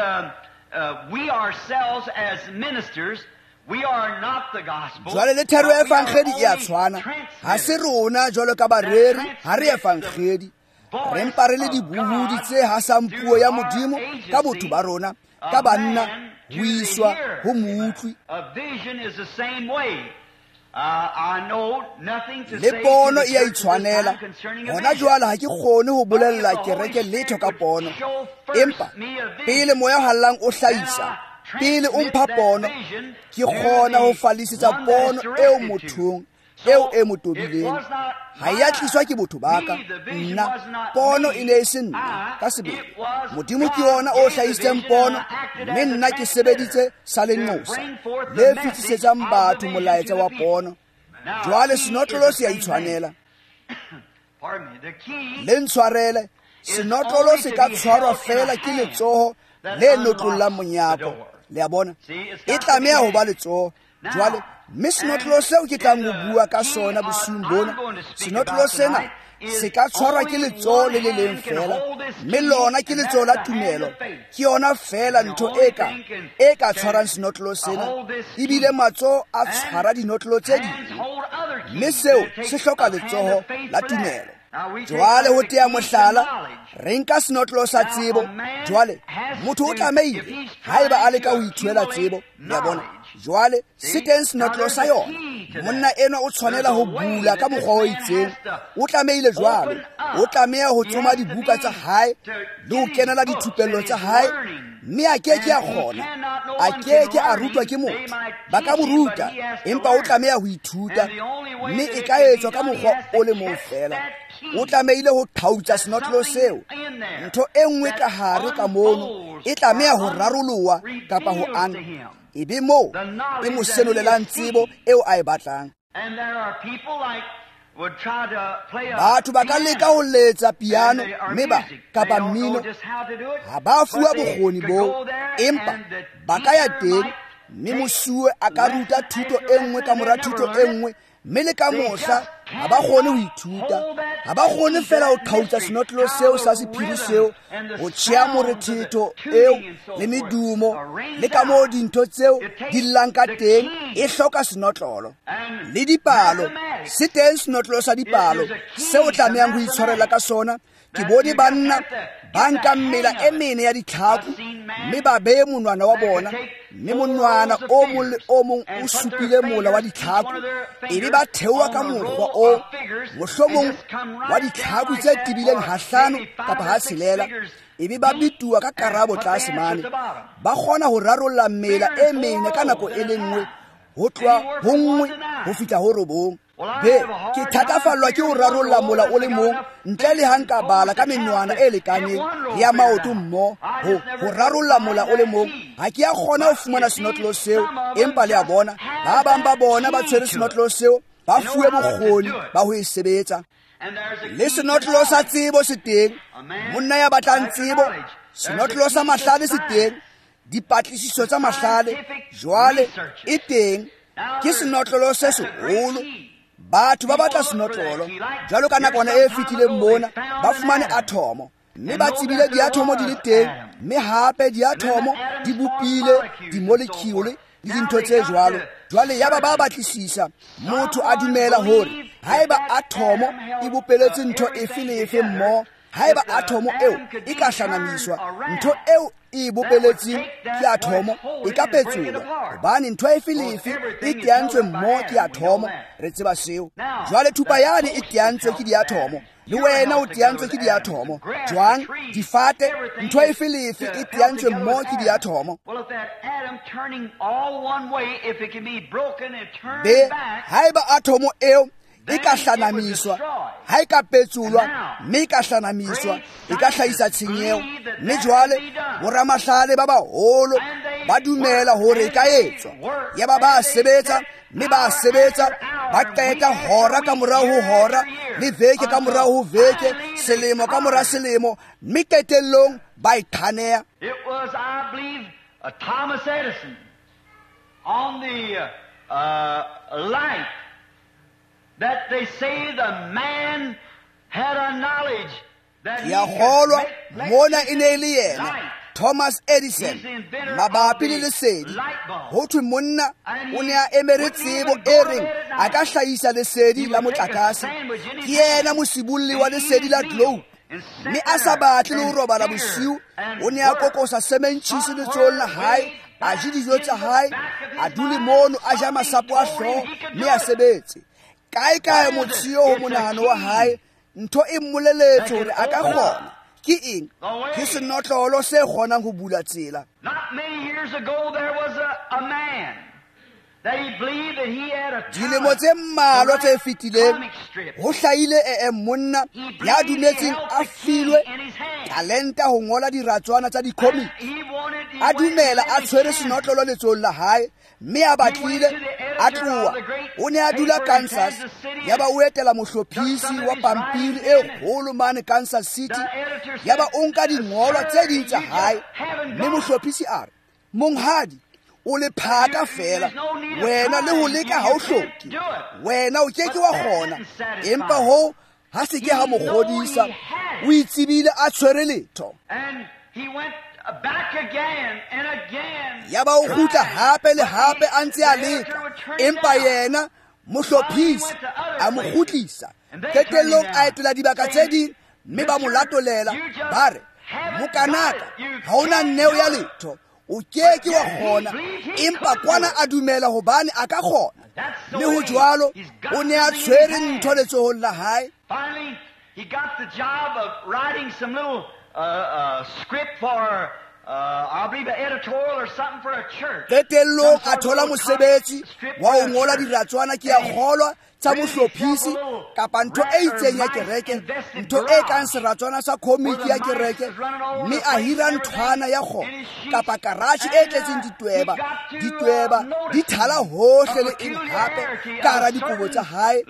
we ourselves as ministers, we are not the gospel. Jwale le thero ya evangeli e a tshwana. Ha se rona jwalo ka bareri, ha re evangeli. Re mpa re le dibuhudi tse hasang puo ya Modimo ka botho ba rona, ka banna ho iswa ho moutlwi. Le pono e a itshwanela. Hona jwale ha ke kgone ho bolella kereke letho ka pono, empa pele moya o hallang o hlahisa, pele o mpha pono, ke kgona ho fallisetsa pono eo mothong eo e mo tobileng. Ha e a tliswa ke botho ba ka, nna pono e ne e se nna ka sebele. Modimo ke yona o hlahisitseng pono, mme nna ke sebeditse sa lenqosa le fetisetsang batho molaetsa wa pono. Jwale senotlolo se a itshwanela. Le ntshwarele, senotlolo se ka tshwarwa feela ke letsoho le notlollang monyako. Le a bona, e tlameha ho ba letsoho. Jwale mme senotlolo seo ke tlang ho bua ka sona bosiung bona, senotlolo sena se ka tshwarwa ke letsoho le le leng feela, mme lona ke letsoho la tumelo. Ke yona feela ntho e ka tshwarang senotlolo sena, ebile matsoho a tshwara dinotlolo tse ding, mme seo se hloka letsoho la tumelo. Jwale ho tea mohlala, re nka senotlolo sa tsebo. Jwale motho o tlamehile haeba a leka ho ithuela tsebo, le a bona. Jwale se teng senotlolo sa yona. Monna enwa o tshwanela ho bula ka mokgwa o itseng. O tlamehile jwalo, o tlameha ho tsoma dibuka tsa hae le ho kenela dithupello tsa hae, mme a ke ke a kgona, a ke ke a rutwa ke motho. Ba ka mo ruta, empa o tlameha ho ithuta, mme e ka etswa ka mokgwa o le mong feela. O tlamehile ho thautsa senotlolo seo. Ntho e nngwe ka hare ka mono e tlameha ho raroloha kapa ho ana, e be moo e mo senolelang tsebo eo a e batlang. Batho ba ka leka ho letsa piano mme ba kapa mmino, ha ba fuwa bokgoni boo, empa ba ka ya teng mme mosuwe a ka ruta thuto e nngwe ka mora thuto e nngwe, mme le ka mohla ha ba kgone ho ithuta. Ha ba kgone feela ho qhautsa senotlolo seo sa sephiri seo, ho tjheha morethetho eo le medumo le ka moo dintho tseo di llang ka teng. E hloka senotlolo. Le dipalo, se teng senotlolo sa dipalo seo tlamehang ho itshwarela ka sona. Ke bone banna ba nkang mela e mene ya ditlhaku mme ba beye monwana wa bona, mme monwana o mong le o mong o supile mola wa ditlhaku, ebe ba theoha ka mokgwa o mohlomong wa ditlhaku tse tebileng ha 5 kapa ha 6, ebe ba bituwa ka karabo tlase mane. Ba kgona ho rarolla mela e mene ka nako e le nngwe, ho tloha ho 1 ho fihla ho 9. Be, ke thatafallwa ke ho rarolla mola o le mong ntle le ha nka bala ka menwana e lekaneng le ya maoto mmoho ho rarolla mola o le mong. Ha ke a kgona ho fumana senotlolo seo, empa le a bona, ba bang ba bona ba tshwere senotlolo seo, ba fuwe bokgoni ba ho e sebetsa. Le senotlolo sa tsebo se teng, monna ya batlang tsebo, senotlolo sa mahlale se teng, dipatlisiso tsa mahlale jwale e teng. Ke senotlolo se seholo. Batho ba batla senotlolo. Jwalo ka nakwana e fetileng mona, ba fumane athomo, mme ba tsebile diathomo di le teng, mme hape diathomo di bopile di-molecule le dintho tse jwalo. Jwale yaba ba batlisisa, motho a dumela hore haeba athomo e bopeletse ntho efe le efe mmoho, haeba athomo eo e ka hlanamiswa, ntho eo e bopeletseng ke athomo e ka petsolwa, hobane ntho efe le efe e teantswe mmoho ke athomo. Re tseba seo. Jwale thupa yane e teantswe ke diathomo, le wena o teantswe ke diathomo. Jwang, difate, ntho efe le efe e teantswe mmoho ke diathomo. Be, haeba athomo eo e ka hlanamiswa, ha e ka petsolwa mme e ka hlanamiswa, e ka hlahisa tshenyeho. Mme jwale boramahlale ba baholo ba dumela hore e ka etswa. Yaba ba sebetsa, mme ba sebetsa, ba qeta hora ka morao ho hora, le veke ka morao ho veke, selemo ka mora selemo, mme qetellong ba e thaneha. It was, I believe, Thomas Edison on the light that they say the man had a knowledge that he kgolwa could make mona e ne e le yena light. Thomas Edison mabapi le lesedi. Ho thwe monna o ne a emere tsebo e reng a ka hlahisa lesedi la motlakase. Ke yena mosibolli wa lesedi la globe, mme a sa batle le ho robala bosiu, o ne a kokosa sementjhisi letsohong la hae, a je dijo tsa hae, a dule mono a ja masapo a hlooho mme a sebetse. Kae kae motsheo ho monahano wa hae, ntho e mmoleletse hore a ka kgona. Ke eng? Ke senotlolo se kgonang ho bula tsela. Not many years ago there was a man Dilemo tse mmalwa tse fetileng ho hlahile monna ya dumetseng a filwe talenta ho ngola diratswana tsa di-comic. A dumela a tshwere senotlolo letsohong la hae, mme a batlile a tloha. O ne a dula Kansas, yaba o etela mohlophisi wa pampiri e kgolo mane Kansas City, yaba o nka dingolwa tse ding tsa hae, mme mohlophisi a re, "Monghadi, o le phaka fela, wena le ho leka ha o hloke, wena o ke ke wa kgona." Empa hoo ha se ke ha mo kgodisa, o itsebile a tshwere letho. Yaba o kgutla hape le hape a ntse a leka, empa yena mohlophisi a mo kgutlisa. Qetellong a etela dibaka tse ding, mme ba mo latolela, ba re, "Mokanaka, ha ona neo ya letho, o ke ke wa kgona." Empa kwana a dumela hobane a ka kgona. Mme ho jwalo, o ne a tshwere ntho letsohong la hae. Finally, he got the job of writing some little script for, I believe, an editorial or something for a church. Qetellong a thola mosebetsi wa ho ngola diratswana, ke a kgolwa, tsa mohlophisi kapa ntho e itseng ya kereke, ntho e kang seratswana sa komiki ya kereke, mme a hira nthwana ya kgona kapa karatjhe e tletseng ditweba, ditweba di thala hohle le eng hape ka hara dikobo tsa hae.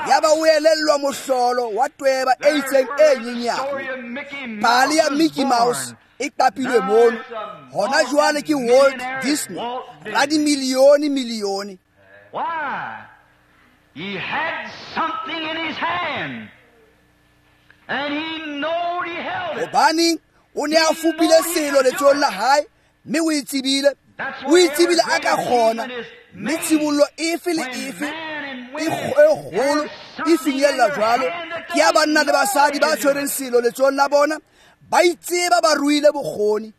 Yaba o elellwa mohlolo wa tweba e itseng e nyenyane. Pale ya Mickey Mouse e qapilwe mono, hona jwale ke Walt Disney, radimilione milione. Why? He had something in his hand, and he knowed he held it. Hobane o ne a fupile selo letsohong la hae, mme o itsebile, o itsebile a ka kgona. Mme tshibollo efe le efe e kgolo e finyella jwalo ke ya banna le basadi ba tshwereng selo letsohong la bona, ba itseba ba ruile bokgoni.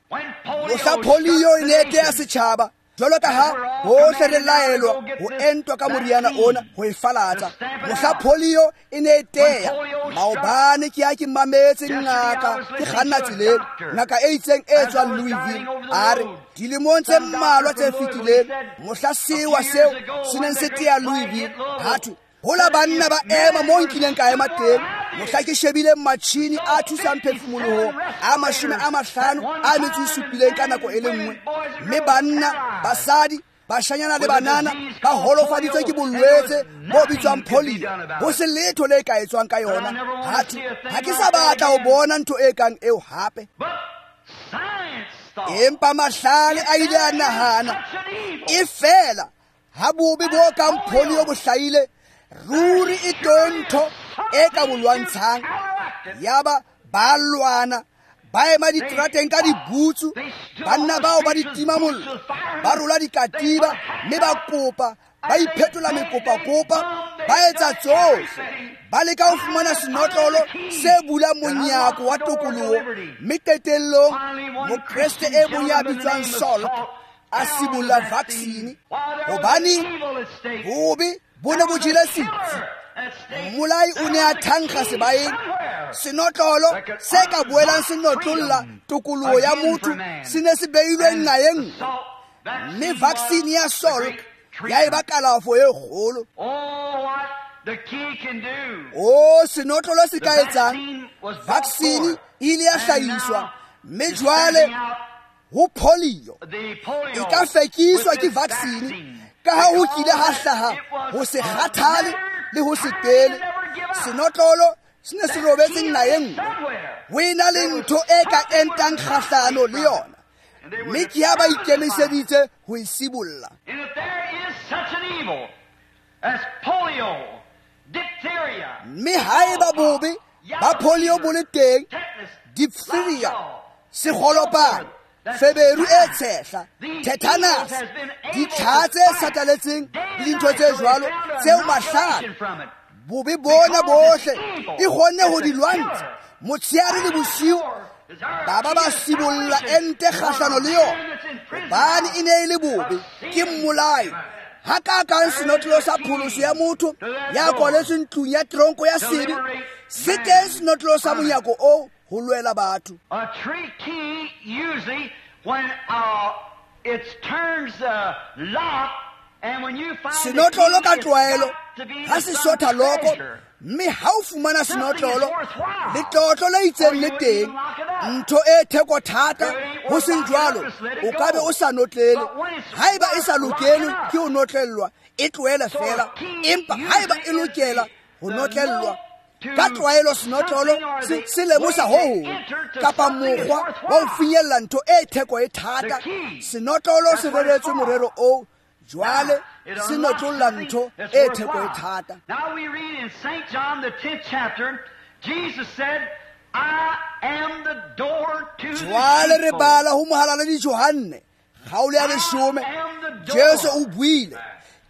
Mohla polio e ne e teya setjhaba, jwalo ka ha bohle re laelwa ho entwa ka moriana ona ho e falatsa. Mohla polio e ne e teya, maobane ke ya ke mametse ngaka ke kganna tseleng, ngaka e itseng e tswang Louisville, a re dilemong tse mmalwa tse fetileng, mohla sewa seo se neng se teya Louisville, ha thwe hola banna ba ema mo nkileng ka ema teng, mohla ke shebile matjhini a thusang phefumolohong a 57 ka nako e le nngwe, mme banna, basadi, bashanyana le banana ba holofaditswe ke bolwetse bo bitswang polio, ho se letho le ka etswang ka yona. Ha thwe ha ke sa batla ho bona ntho e kang eo hape. Empa mahlale a ile a nahana, e fela ha bobe bo kang polio bo hlahile, ruri e teng ntho e ka bo lwantshang. Yaba ba lwana, ba ema diterateng ka dibutsu, banna bao ba ditima mollo, ba rola dikatiba, mme ba kopa, ba iphetola mekopakopa, ba etsa tsohle, ba leka ho fumana senotlolo se bulang monyako wa tokoloho. Mme qetellong mokreste e mong ya bitswang Saul a sibolla vaccine, hobane bobe bo ne bo jele setsi. Mmolai o ne a thankga sebaeng, senotlolo se ka boelang se notlolla tokoloho ya motho se ne se beilwe nqa e nngwe, mme vaccine ya Salk ya eba kalafo e kgolo. O senotlolo se ka etsang, vaccine e ile ya hlahiswa, mme jwale ho polio e ka fekiswa ke vaccine, ka ha ho kile ha hlaha ho se kgathale le ho se tele. Senotlolo se ne se robetse nqa e nngwe, ho ena le ntho e ka entang kgahlano le yona, mme ke ha ba ikemiseditse ho e sibolla. Mme haeba bobe ba polio bo le teng, diphtheria, sekgolopane, feberu e tshehla, tetanus, ditlha tse sataletseng le dintho tse jwalo tseo mahlale, bobe bona bohle e kgonne ho di lwantsha motshehare le bosiu. Ba ba sibolla ente kgahlano le yona, hobane e ne e le bobe, ke mmolai. Ha ka kang senotlolo sa pholoso ya motho ya kwaletsweng ntlong ya tronko ya sebe, se teng senotlolo sa monyako oo ho lwela batho. A tree key usually when it turns lock, Senotlolo ka tlwaelo ha se sotha loko, mme ha o fumana senotlolo, letlotlo le itseng le teng, ntho e theko thata, ho seng jwalo o ka be o sa notlele. Haeba e sa lokelwe ke ho notlellwa, e tlohele fela. Empa haeba e lokela ho notlellwa, ka tlwaelo senotlolo se lemosa ho hong kapa mokgwa wa ho finyella ntho e theko e thata. Senotlolo se reretswe morero oo, jwale se notlolla ntho e theko e thata. Now we read in St. John the 10th chapter, Jesus said, I am the door to the Jwale re sheepfold. bala ho mohalaledi Johanne kgaolo ya 10, Jesu o buile,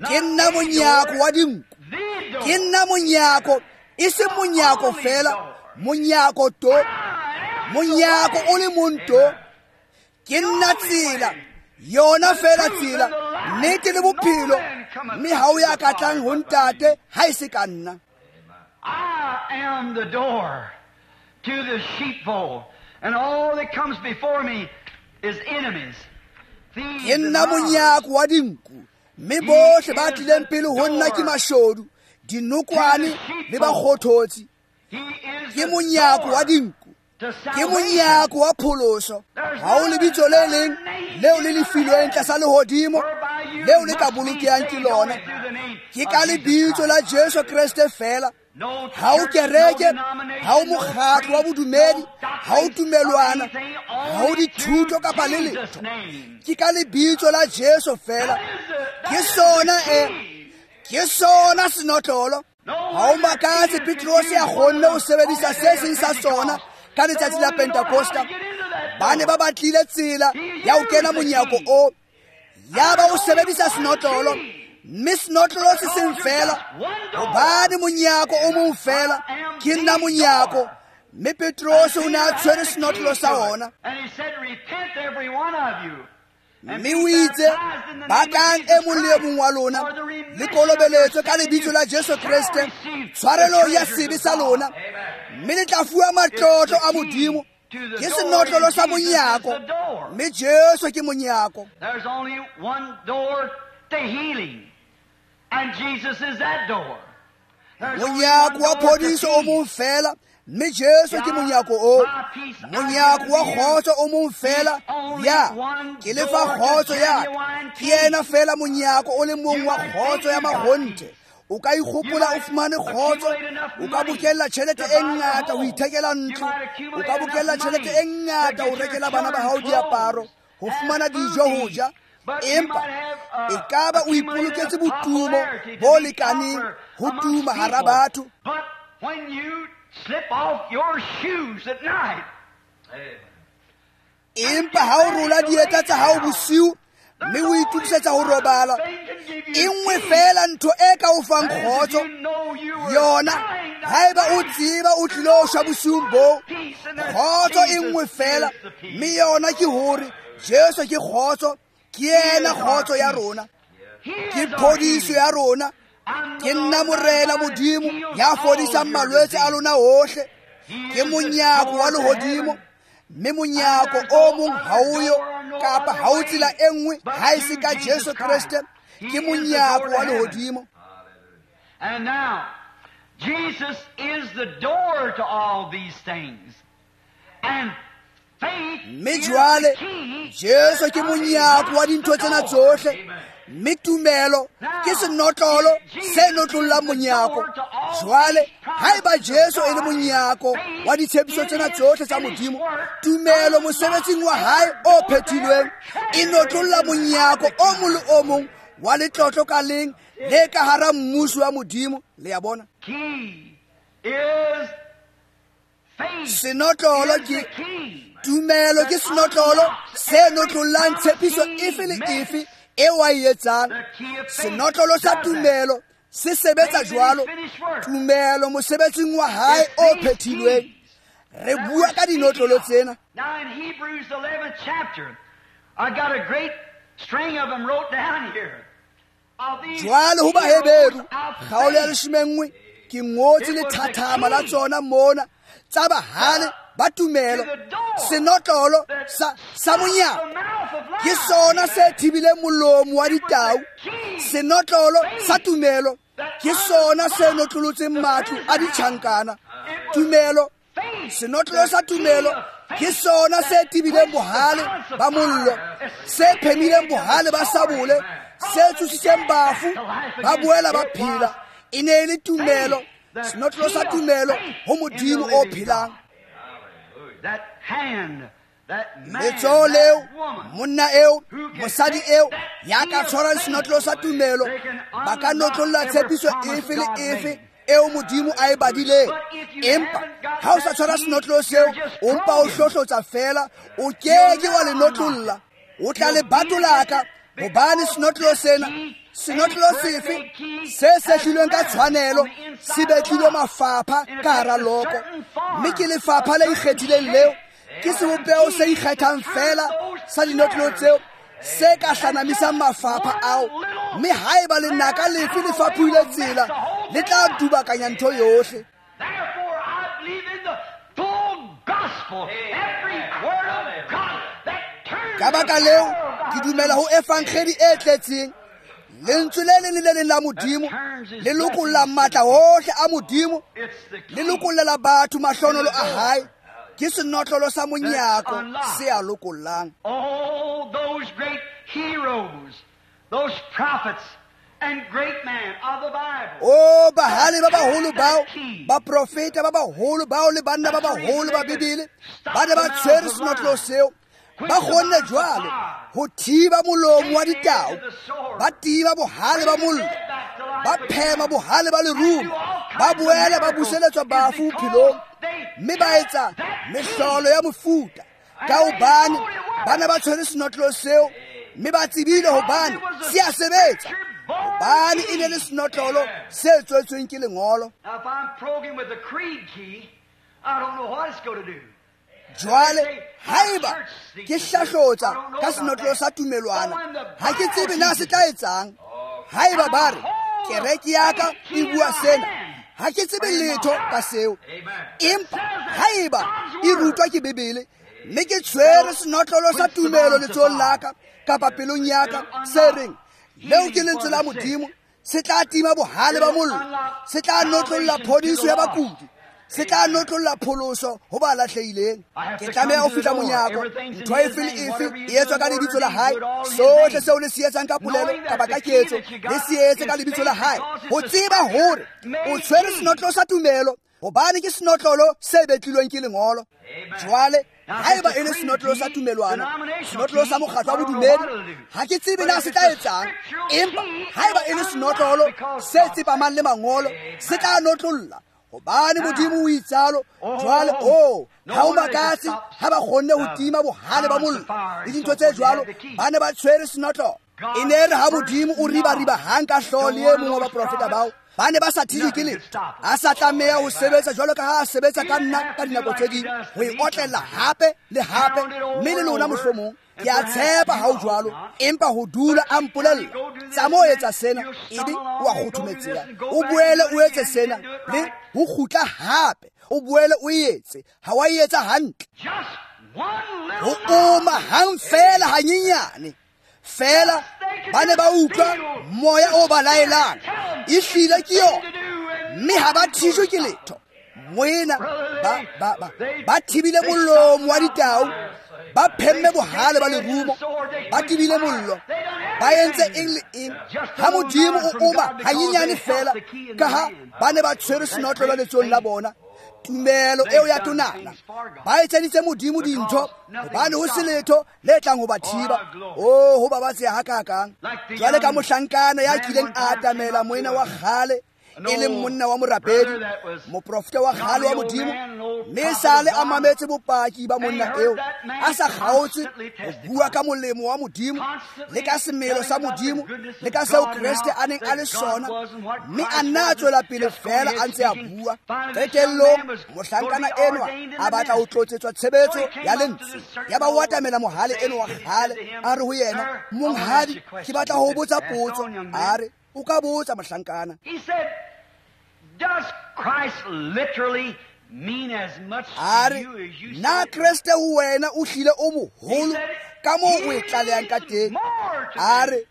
ke nna monyako wa dinku, The door. ke nna monyako, e seng monyako fela, monyako to, monyako o le mong to. Ke nna tsela, yona fela tsela, nnete le bophelo, mme ha o ya ka tlang ho Ntate ha e se ka nna. I am the door to the sheepfold, and all that comes before me is enemies, thieves Ke and nna robbers. monyako wa dinku, mme bohle ba tlileng pele ho nna ke mashodu, dinokwane le bakgothotsi. He is Ke the monyako wa door dinku, to ke salvation. monyako wa pholoso. Ha ho lebitso le leng leo le le filweng tlasa lehodimo Whereby you leo le ka must be bolokehang ke saved lona. only through the name Ke of ka Jesus lebitso la Christ. Jesu Kreste fela. No Ha ho church, kereke, no denomination, ha ho no mokgatlo wa creed, bodumedi, no ha ho doctrine, tumelwana, anything, ha ho only dithuto through kapa le Jesus' letho. name. Ke ka lebitso la Jesu fela. That is the- that Ke is sona the e, key. ke sona senotlolo. No Ha o wonder makatse Peter Petrose could a use kgonne ho one sebedisa on se the day seng of sa tsona Pentecost. ka letsatsi la They won't even know how Pentecosta. to get into that Ba ne door. ba batlile tsela ya ho kena monyako o, ya ba o sebedisa senotlolo, mme senotlolo se seng fela, hobane monyako o mong fela, ke nna monyako. Mme Petrose o ne a tshwere senotlolo sa ona. And he said, Repent every one of you. And Mme be o itse, baptized in the name of bakang e Jesus mong le e Christ mong wa lona, for the le remission of kolobeletswe your ka lebitso sins, la Jesu shall Kreste, receive tshwarelo the ya treasures sebe of sa God. lona, mme le tla fuwa matlotlo a Modimo. Ke senotlolo sa monyako, mme Jesu ke monyako. There's only one door to healing, and Jesus is that door. There's only Monyako one wa door to phodiso o mong peace. fela, mme Jesu ke monyako oo. Monyako wa kgotso o mong fela, ya ke le fa kgotso ya ka. Ke yena fela monyako o le mong wa kgotso ya makgonthe. O ka ikgopola o fumane kgotso, o ka bokella tjhelete e ngata ho ithekela ntlo, o ka bokella tjhelete e ngata ho rekela bana ba hao diaparo, ho fumana dijo ho ja. Empa e ka ba o ipoloketse botumo bo lekaneng ho tuma hara batho. But when you slip off your shoes at night, Empa ha o rola dieta tsa hao bosiu mme o itokisetsa ho robala, e nngwe fela ntho e ka o fang kgotso yona, haeba o tseba o tlilo shwa bosiung boo, kgotso e nngwe fela, mme yona ke hore Jesu ke kgotso, ke yena kgotso ya rona, ke phodiso ya rona. Ke nna Morena Modimo ya fodisang malwetse a lona ohle. Ke monyako wa lehodimo, mme monyako o mong ha o yo, kapa ha o tsela e nngwe ha e se ka Jesu Kreste. Ke monyako wa lehodimo. And now, Jesus is the door to all these things. And faith Mme is jwale the key Jesu ke monyako wa dintho tsena tsohle, mme tumelo ke senotlolo se notlollang monyako. Jwale haeba Jesu e le monyako wa ditshepiso tsena tsohle tsa Modimo, tumelo mosebetsing wa hae o phethilweng e notlolla monyako o mong le o mong wa letlotlo ka leng le ka hara mmuso wa Modimo. Le ya bona? Key is faith. Senotlolo is the ke key. tumelo, ke senotlolo se notlollang tshepiso efe le efe eo a e etsang. The key of faith Senotlolo sa does that. tumelo se sebetsa jwalo. Tumelo mosebetsing wa hae o phethilweng. Re bua ka dinotlolo tsena. Now in Hebrews 11th chapter, I got a great string of them wrote down here. Of these Jwale ho heroes Baheberu of kgaolo ya faith. 11, ke ngotse lethathama la tsona mona tsa bahale ba tumelo, senotlolo sa monyako ke sona se thibileng molomo wa ditau. Senotlolo sa tumelo ke sona se notlolotseng matlo a ditjhankana. Tumelo, senotlolo sa tumelo ke sona se thibileng bohale ba mollo, se phemileng bohale ba sabole, se tsositseng bafu ba boela ba phela. E ne e le tumelo, senotlolo sa tumelo ho Modimo o phelang. Letsoho leo, monna eo, mosadi eo ya ka tshwarang senotlolo sa tumelo, ba ka notlolla tshepiso efe le efe eo Modimo a e badileng. Empa ha o sa tshwara senotlolo seo, o mpa o hlohlotsa fela, o keke wa le notlolla. O tla le batolaka, hobane senotlolo sena, senotlolo sefe se sehlilweng ka tshwanelo, se betlilwe mafapha ka hara loko, mme ke lefapha le ikgethileng leo, ke sebopeho se ikgethang fela sa dinotlolo tseo se ka hlanamisang mafapha ao. Mme haeba lenaka lefe le fapohile tsela, le tla dubakanya ntho yohle. Ka baka leo, ke dumela ho evangeli e tletseng. Lentswe le leng le le leng la Modimo le lokolla matla ohle a Modimo, le lokollela batho mahlonolo a hae. Ke senotlolo sa monyako se a lokollang. Oh, those great heroes, those prophets and great men of the Bible. Oh, bahale ba baholo bao, baprofeta ba baholo bao le banna ba baholo ba Bibele, ba ne ba tshwere senotlolo seo. Ba kgonne jwale ho thiba molomo wa ditau, ba tiba bohale ba mollo, ba phema bohale ba lerumo, ba boela ba buseletswa bafu bophelong, mme ba etsa mehlolo ya mofuta. Ka hobane ba ne ba tshwere senotlolo seo, mme ba tsebile hobane se a sebetsa, hobane e ne le senotlolo se tswetsweng ke lengolo. Jwale haeba ke hlahlotsa ka senotlolo sa tumelwana, ha ke tsebe na se tla etsang. Haeba ba re kereke ya ka e bua sena, ha ke tsebe letho ka seo. Empa haeba e rutwa ke Bibele, mme ke tshwere senotlolo sa tumelo letsohong la ka kapa pelong ya ka, se reng leo ke lentswe la Modimo, se tla tima bohale ba mollo, se tla notlolla phodiso ya bakudi, se tla notlolla pholoso ho ba lahlehileng. Ke tlameha ho fihla monyako. Ntho efe le efe e etswa ka lebitso la hae. Sohle seo le se etsang ka polelo kapa ka ketso, le se etse ka lebitso la hae. Ho tseba hore o tshwere senotlolo sa tumelo, hobane ke senotlolo se betlilweng ke lengolo. Jwale haeba e le senotlolo sa tumelwana, senotlolo sa mokgatlo wa bodumedi, ha ke tsebe na se tla etsang. Empa haeba e le senotlolo se tsepamang le mangolo, se tla notlolla, hobane Modimo o itsalo. Jwale o ha o makatse ha ba kgonne ho tima bohale ba mollo le dintho tse jwalo, ba ne ba tshwere senotlolo. E ne re ha Modimo o riba-riba hang ka hlooho le e mong wa baprofeta bao, ba ne ba sa thijwe ke letho. A sa tlameha ho sebetsa jwalo ka ha a sebetsa ka nna ka dinako tse ding, ho e otlella hape le hape, mme le lona mohlomong. Ke a tshepa ha o jwalo, empa ho dula a mpolella, tsamao etsa sena, ebe o a kgothometseha. O boele o etse sena, le ho kgutla hape, o boele o etse, ha wa e etsa hantle. Ho oma hang fela hanyenyane fela, ba ne ba utlwa moya o ba laelang. Ehlile ke yona, mme ha ba thijwe ke letho. Moena ba thibile molomo wa ditau, ba phemme bohale ba lerumo, ba tibile mollo, ba entse eng le eng. Ha Modimo o oma hanyenyane fela, ka ha ba ne ba tshwere senotlolo letsohong la bona, tumelo eo ya tonana, ba etseditse Modimo dintho, hobane ho se letho le tlang ho ba thiba. Oh, ho babatseha hakakang. Jwale ka mohlankana ya kileng a atamela moena wa kgale, e leng monna wa morapedi, moprofeta wa kgale wa Modimo, mme sale a mametse bopaki ba monna eo, a sa kgaotse ho bua ka molemo wa Modimo le ka semelo sa Modimo le ka seo Kreste a neng a le sona, mme a nna a tswela pele fela a ntse a bua. Qetellong mohlankana enwa a batla ho tlotsetswa tshebetso ya lentswe. Ya ba o atamela mohale enwa wa kgale, a re ho yena, monghadi, ke batla ho botsa potso. A re, o ka botsa mohlankana. He said, does Christ literally A re, na Kreste ho wena o hlile o moholo ka moo o e tlalehang ka teng? A re,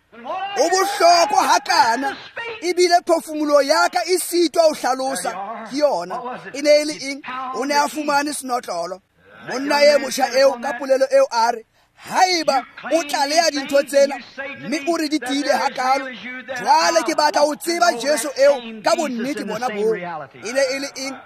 o bohlokwa hakana, ebile phefumoloho ya ka e sitwa ho hlalosa. Ke yona e ne e le eng? O ne a fumane senotlolo. Monna e motjha eo ka polelo eo a re, haeba o tlaleha dintho tsena mme o re di tiile hakalo, jwale ke batla ho tseba Jesu eo ka bonnete bona boo. E ne e le eng?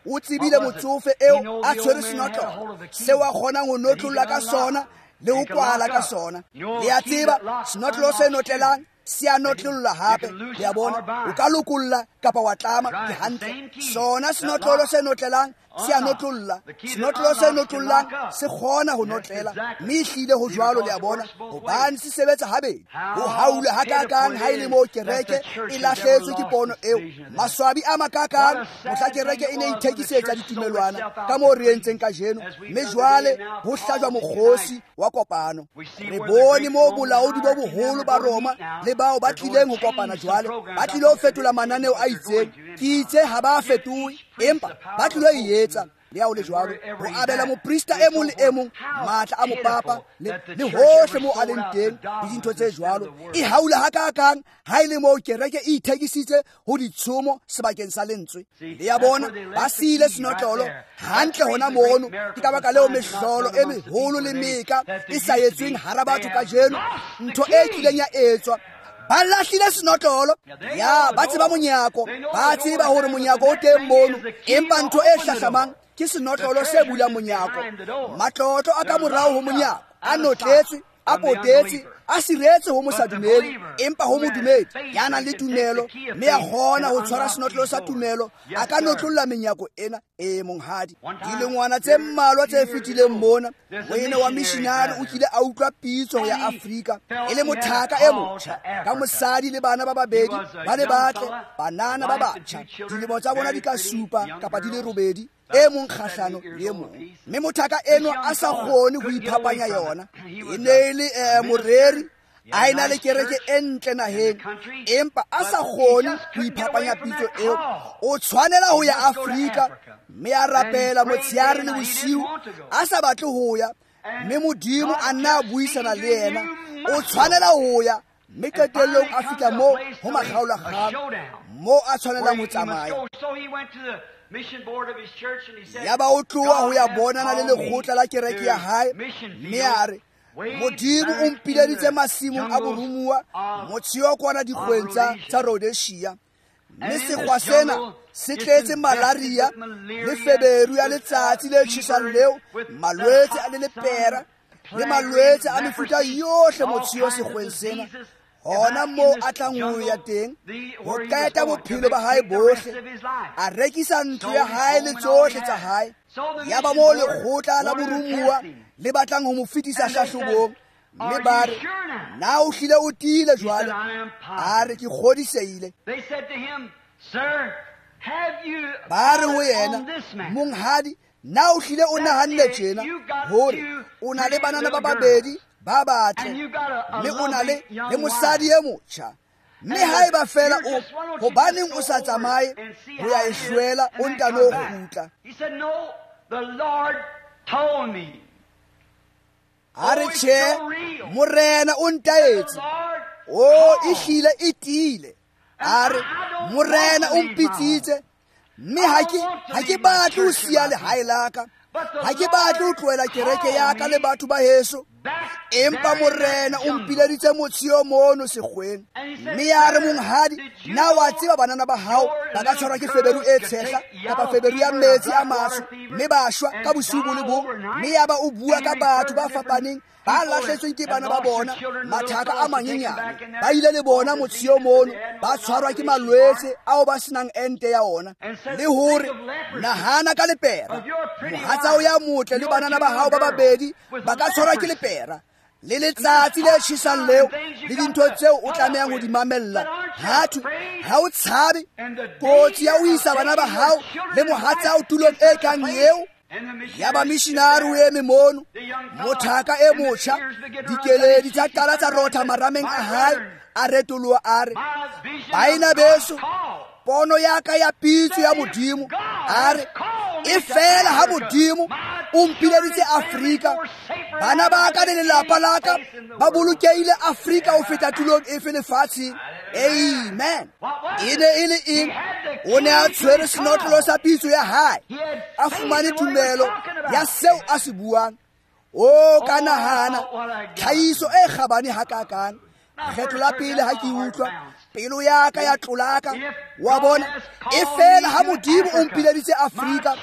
O tsebile motsofe eo a tshwere senotlolo seo a kgonang ho notlolla ka sona le ho kwala ka sona. Le a tseba, senotlolo se notlelang se a notlolla hape. Le a bona, o ka lokolla kapa wa tlama. Ke hantle. Sona senotlolo se notlelang se a notlolla. Senotlolo se notlollang se kgona ho notlela, mme ehlile ho jwalo. Le a bona, hobane se sebetsa habedi. Ho haula hakakang ha e le moo kereke e lahletswe ke pono eo. Maswabi a makakang mohla kereke e ne ithekisetsa ditumelwana ka moo re entseng kajeno, mme jwale ho hlajwa mokgosi wa kopano. Re bone moo bolaodi bo boholo ba Roma le bao ba tlileng ho kopana jwale ba tlile ho fetola mananeo a itseng. Ke itse ha ba fetohe, empa ba tlilo e etsa. Le ha ho le jwalo, ho abela moprista e mong le e mong matla a mopapa le hohle moo a leng teng le dintho tse jwalo. E haula hakakang ha e le moo kereke e ithekisitse ho ditshomo sebakeng sa lentswe. Le a bona, ba siile senotlolo hantle hona mono. Ke ka baka leo mehlolo e meholo le meka e sa etsweng hara batho kajeno, ntho e kileng ya etswa. Ba lahlile senotlolo. Ya, ba tseba monyako, ba tseba hore monyako o teng mono, empa ntho e hlahlamang ke senotlolo se bulang monyako. Matlotlo a ka morao ho monyako a notletswe, a potetse, a siretse ho mosadumedi, empa ho modumedi ya nang le tumelo mme a kgona ho tshwara senotlolo sa tumelo, a ka notlolla menyako ena. E monghadi, dilengwana tse mmalwa tse fetileng mona, moena wa missionary o kile a utlwa pitso ya Afrika e le mothaka e motjha ka mosadi le bana ba babedi ba le batle, banana ba batjha, dilemo tsa bona di ka 7 kapa di le 8, e mong kgahlano le e mong. Mme mothaka eno a sa kgone ho iphapanya yona. E ne e le moreri, a ena le kereke e ntle naheng, empa a sa kgone ho iphapanya pitso eo. O tshwanela ho ya Afrika, mme a rapela motsheare le bosiu, a sa batle ho ya, mme Modimo a nna a buisana le yena. O tshwanela ho ya, mme qetellong a fihla moo ho makgaolakgang, moo a tshwanelang ho tsamaya. Yaba o tloha ho ya bonana le lekgotla la kereke ya hae, mme a re, Modimo o mpileditse masimong a borumuwa motsheo kwana dikgweng tsa Rhodesia, mme sekgwa sena se tletse malaria le feberu ya letsatsi le tjhesang leo, malwetse a le lepera le malwetse a mefuta yohle motsheo sekgweng sena. Hona moo a tlang ho ya teng ho qeta bophelo ba hae bohle. A rekisa ntlo ya hae le tsohle tsa hae. Yaba moo lekgotla la borumuwa le batlang ho mo fetisa hlahlobong, mme ba re, na o hlile o tiile jwale? A re, ke kgodisehile. Ba re ho yena, monghadi, na o hlile o nahanne tjena hore o na le banana ba babedi ba batle, mme o na le mosadi e motjha, mme haeba fela o hobaneng o sa tsamaye ho ya e hlwela, o ntano kgutla? A re, tjhe, Morena o ntaetse. O e hlile e tiile. A re, Morena o mpitsitse, mme ha ke batle ho siya lehae la ka, ha ke batle ho tlohela kereke ya ka le batho ba heso, empa Morena o mpileditse motsheo mono sekgweng. Mme ya re, monghadi, na wa tseba banana ba hao ba ka tshwarwa ke feberu e tshehla kapa feberu ya metsi a matsho, mme ba shwa ka bosiu bo le bong? Mme yaba o bua ka batho ba fapaneng ba lahletsweng ke bana ba bona, mathaka a manyenyane, ba ile le bona motsheo mono, ba tshwarwa ke malwetse ao ba senang ente ya ona. Le hore nahana ka lepera, mohatsao ya motle le banana ba hao ba babedi ba ka tshwarwa ke lepera le letsatsi le tjhesang leo le dintho tseo o tlamehang ho di mamella. Hathwe ha o tshabe kotsi ya ho isa bana ba hao le mohatsao tulong e kang eo? Yaba missionary o eme mono, mothaka e motjha, dikeledi tsa qala tsa rotha marameng a hae, a retoloha a re, baena beso, pono ya ka ya pitso ya Modimo, a re, E fela ha Modimo o mpileditse Afrika, bana ba ka le lelapa la ka ba bolokehile Afrika ho feta tulong efe lefatsheng. Amen. E ne e le eng? O ne a tshwere senotlolo sa pitso ya hae, a fumane tumelo ya seo a se buang. O ka nahana tlhahiso e kgabane hakakang. Kgetlo la pele ha ke utlwa, pelo ya ka ya tlolaka. Wa bona, e fela ha Modimo o mpileditse Afrika,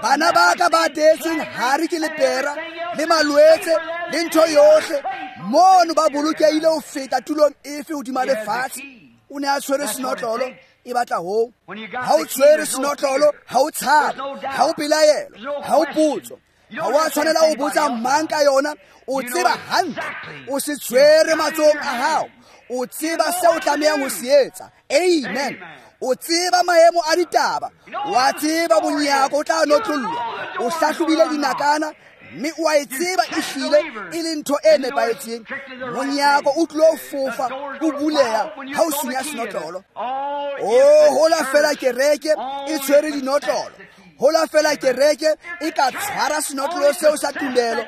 bana ba ka ba teetsweng hare ke lepera le malwetse le ntho yohle mono ba bolokehile ho feta tulong efe hodima lefatshe. O ne a tshwere senotlolo, e batla hoo. Ha o tshwere senotlolo, ha o tshabe, ha o pelaelo, ha o potso. Ha wa tshwanela ho botsa mang ka yona. O tseba hantle, o se tshwere matsohong a hao. O tseba seo o tlamehang ho se etsa. Amen. O tseba maemo a ditaba, wa tseba monyako o tla notlollwa. O hlahlobile dinakana mme o a e tseba ehlile e le ntho e nepahetseng. Monyako o tlilo fofa, o buleha ha o sunya senotlolo. O hola fela kereke e tshwere dinotlolo. Hola fela kereke e ka tshwara senotlolo seo sa tumelo,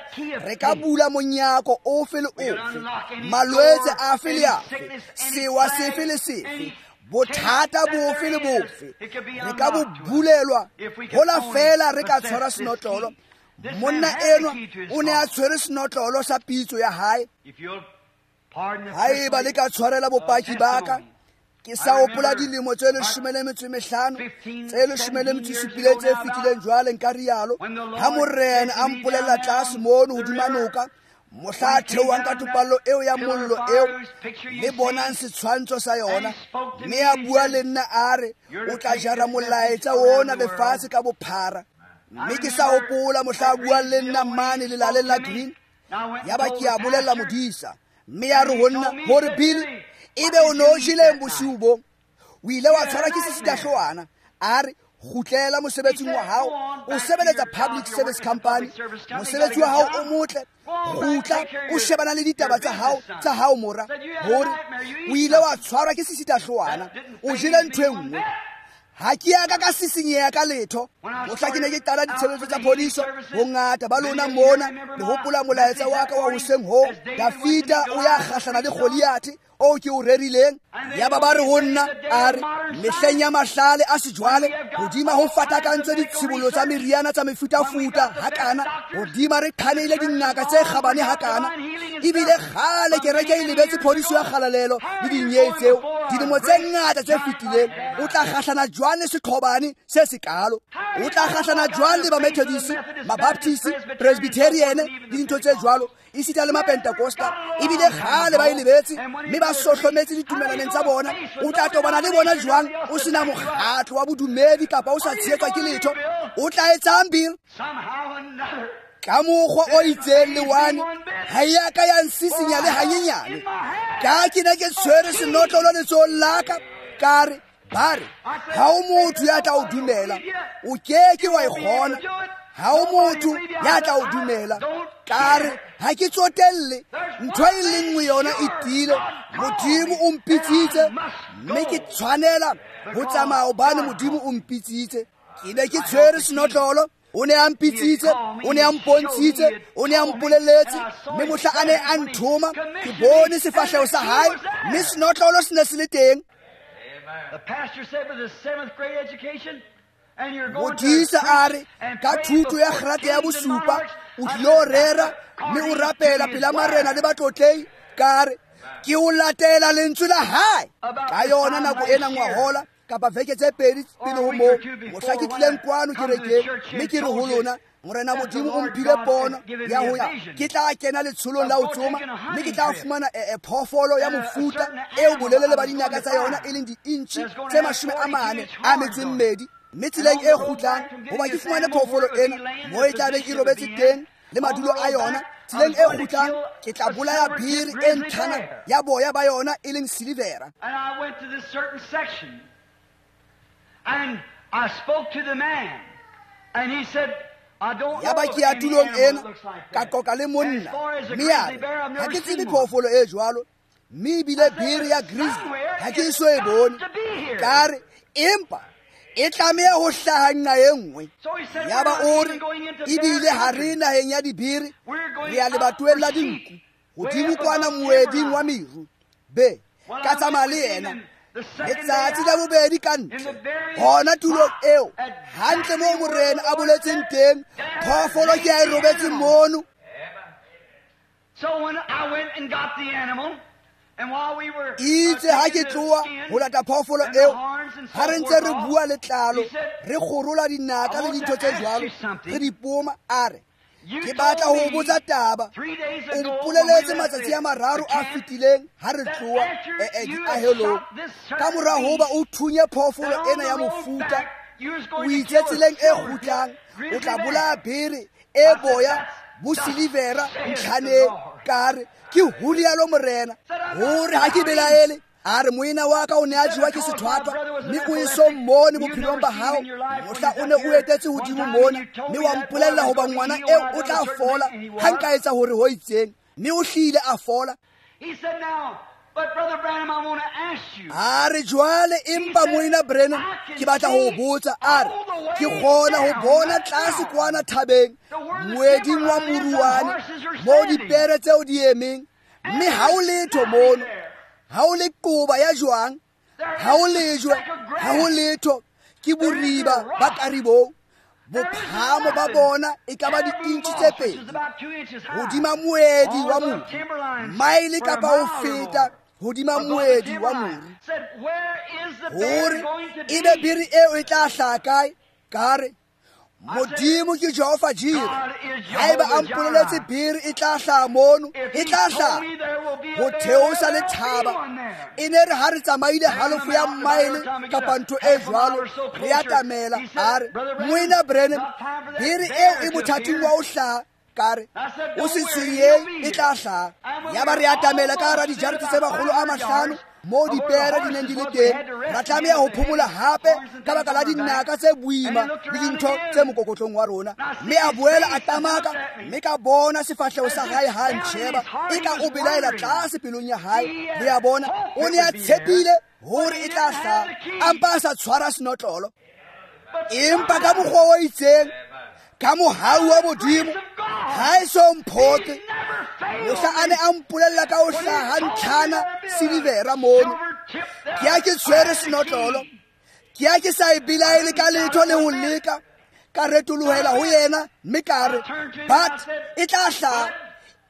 re ka bula monyako ofe le ofe, malwetse afe le afe, sewa sefe le sefe, bothata bofe le bofe, re ka bo bulelwa. Hola fela re ka tshwara senotlolo. Monna enwa o ne a tshwere senotlolo sa pitso ya hae. Haeba le ka tshwarela bopaki ba ka, ke sa hopola dilemo tse 15 tse 17 tse fetileng jwale nka rialo, ha Morena a mpolella tlase mono hodima noka, mohla a theohang ka topallo eo ya mollo eo le bonang setshwantsho sa yona, mme a bua le nna a re, o tla jara molaetsa ona lefatshe ka bophara. Mme ke sa hopola mohla a buang le nna mane lelaleng la Green, yaba ke a bolella modisa, mme ya re ho nna, hore Billy, ebe o no jeleng bosiu bo, o ile wa tshwarwa ke sesitahlowana. A re, kgutlela mosebetsing wa hao, o sebeletsa Public Service Company, mosebetsi wa hao o motle, kgutla o shebana le ditaba tsa hao mora. Hore o ile wa tshwarwa ke sesitahlowana, o jele ntho e nngwe. Ha ke ya ka ka sisinyeha ka letho. Mohla ke ne ke qala ditshebeletso tsa phodiso, bongata ba lona mona le hopola molaetsa wa ka wa hoseng hoo, Dafida o ya kgahlana le Goliath o ke o rerileng. Yaba ba re ho nna, a re, mehleng ya mahlale a sejwale, hodima ho fatakantswe ditshibollo tsa meriana tsa mefutafuta hakana, hodima re qhaneile dingaka tse kgabane hakana, ebile kgale kereke e lebetse phodiso ya kgalalelo le dinyei tseo dilemo tse ngata tse fetileng. O tla kgahlana jwang le seqhobane se sekalo? O tla kgahlana jwang le ba-Methodist, ba-Baptist, Presbyterian le dintho tse jwalo, esita le ma-Pentecosta? Ebile kgale ba e lebetse mme ba sohlometse ditumelaneng tsa bona. O tla tobana le bona jwang o sena mokgatlo wa bodumedi kapa o sa tshehetswa ke letho? O tla etsang, Bill? Ka mokgwa o itseng lewane ha ya ka ya nsisinya le hanyenyane. Ka ke ne ke tshwere senotlolo letsohong la ka, ka re, ba re, ha o motho ya tla o dumela, o keke wa e kgona. Ha o motho ya tla o dumela. Ka re, ha ke tsotelle, ntho e le nngwe yona e tiile, Modimo o mpitsitse, mme ke tshwanela ho tsamaya hobane Modimo o mpitsitse. Ke ne ke tshwere senotlolo, o ne a mpitsitse, o ne a mpontshitse, o ne a mpolelletse, mme mohla a ne a nthoma, ke bone sefahleho sa hae, mme senotlolo se ne se le teng. Modisa a re, ka thuto ya kgrate ya bosupa, o tlilo rera mme o rapela pela marena le batlotlei. Ka re, ke o latela lentswe la hae. Ka yona nako ena ngwahola kapa veke tse pedi pele ho moo, mohla ke tlileng kwano kerekeng, mme ke re ho lona, Morena Modimo o mphile pono ya ho ya, ke tla kena letsholong la ho tsoma, mme ke tla fumana phoofolo ya mofuta eo bolelele ba dinaka tsa yona e leng di-inchi tse 42, mme tseleng e kgutlang hoba ke fumane phoofolo ena moo e tla beng e robetse teng le madulo a yona. Tseleng e kgutlang ke tla bolaya biri e ntlhana ya boya ba yona e leng silivera. And I spoke to the man, and he said, Ya ba ke ya tulong ena, ka qoqa le monna, mme a re, ha ke tsebe phoofolo e jwalo, mme ebile biri ya grizzly ha ke eso e bone. Ka re, empa E tlameha ho hlaha nqa e nngwe. Yaba o re ebile ha re naheng ya dibere, re ya lebatoweng la dinku, hodimo kwana moeding wa meru. Be ka tsamaya le yena letsatsi la bobedi ka ntle hona tulong eo, hantle moo morena a boletseng teng, phoofolo ke a e robetse mono. Itse ha ke tloha ho lata phoofolo eo, ha re ntse re bua letlalo, re kgorola dinaka le dintho tse jwalo, re di poma, a re ke batla ho botsa taba. O mpoleletse matsatsi a mararo a fetileng ha re tloha diahelong, ka mora hoba o thunye phoofolo ena ya mofuta, o itse tseleng e kgutlang o tla bolaya bere e boya bo silivera ntlhaneng. Ka re ke ho rialo morena, hore ha ke belaele. A re moena wa ka o ne a jewa ke sethwathwa, mme o eso mmone bophelong ba hao mohla o ne o etetse hodimo mona, mme wa mpolella hoba ngwana eo o tla fola ha nka etsa hore ho itseng, mme o hlile a fola. A re jwale empa moena Branham, ke batla ho botsa. A re ke kgona ho bona tlase kwana thabeng moeding wa moruane moo dipere tseo di emeng, mme ha o letho mono, ha o le qoba ya jwang, ha o lejwe, ha ho letho, ke boriba ba karibong. Bophahamo ba bona e ka ba di-inch tse pedi hodima moedi wa moru, maele kapa ho feta hodima moedi wa moru. Hore ebe bere eo e tla hlaha kae? Ka re Modimo ke Jehova Jireh. Haeba a mpoleletse bere e tla hlaha mono, e tla hlaha ho theosa le thaba. E ne re ha re tsamaile halofo ya maele kapa ntho e jwalo, re atamela. A re moena Branham, bere eo e mothating wa ho hlaha. Ka re o se tshwenyeng, e tla hlaha. Yaba re atamela ka hara dijarete tse 500 moo dipere di neng di le teng. Ra tlameha ho phomola hape ka baka la dinaka tse boima le dintho tse mokokotlong wa rona. Mme a boela a tamaka, mme ka bona sefahleho sa hae ha ntjheba, e ka o belaela tlase pelong ya hae. Le a bona, o ne a tshepile hore e tla hlaha, a mpa a sa tshwara senotlolo. Empa ka mokgwa o itseng, ka mohau wa Modimo, ha e so mphoke. Mohla a ne a mpolella ka ho hlaha ntlhana silivera mono, ke ya ke tshwere senotlolo, ke ya ke sa e belaele ka letho le ho leka. Ka retolohela ho yena mme ka re, but e tla hlaha.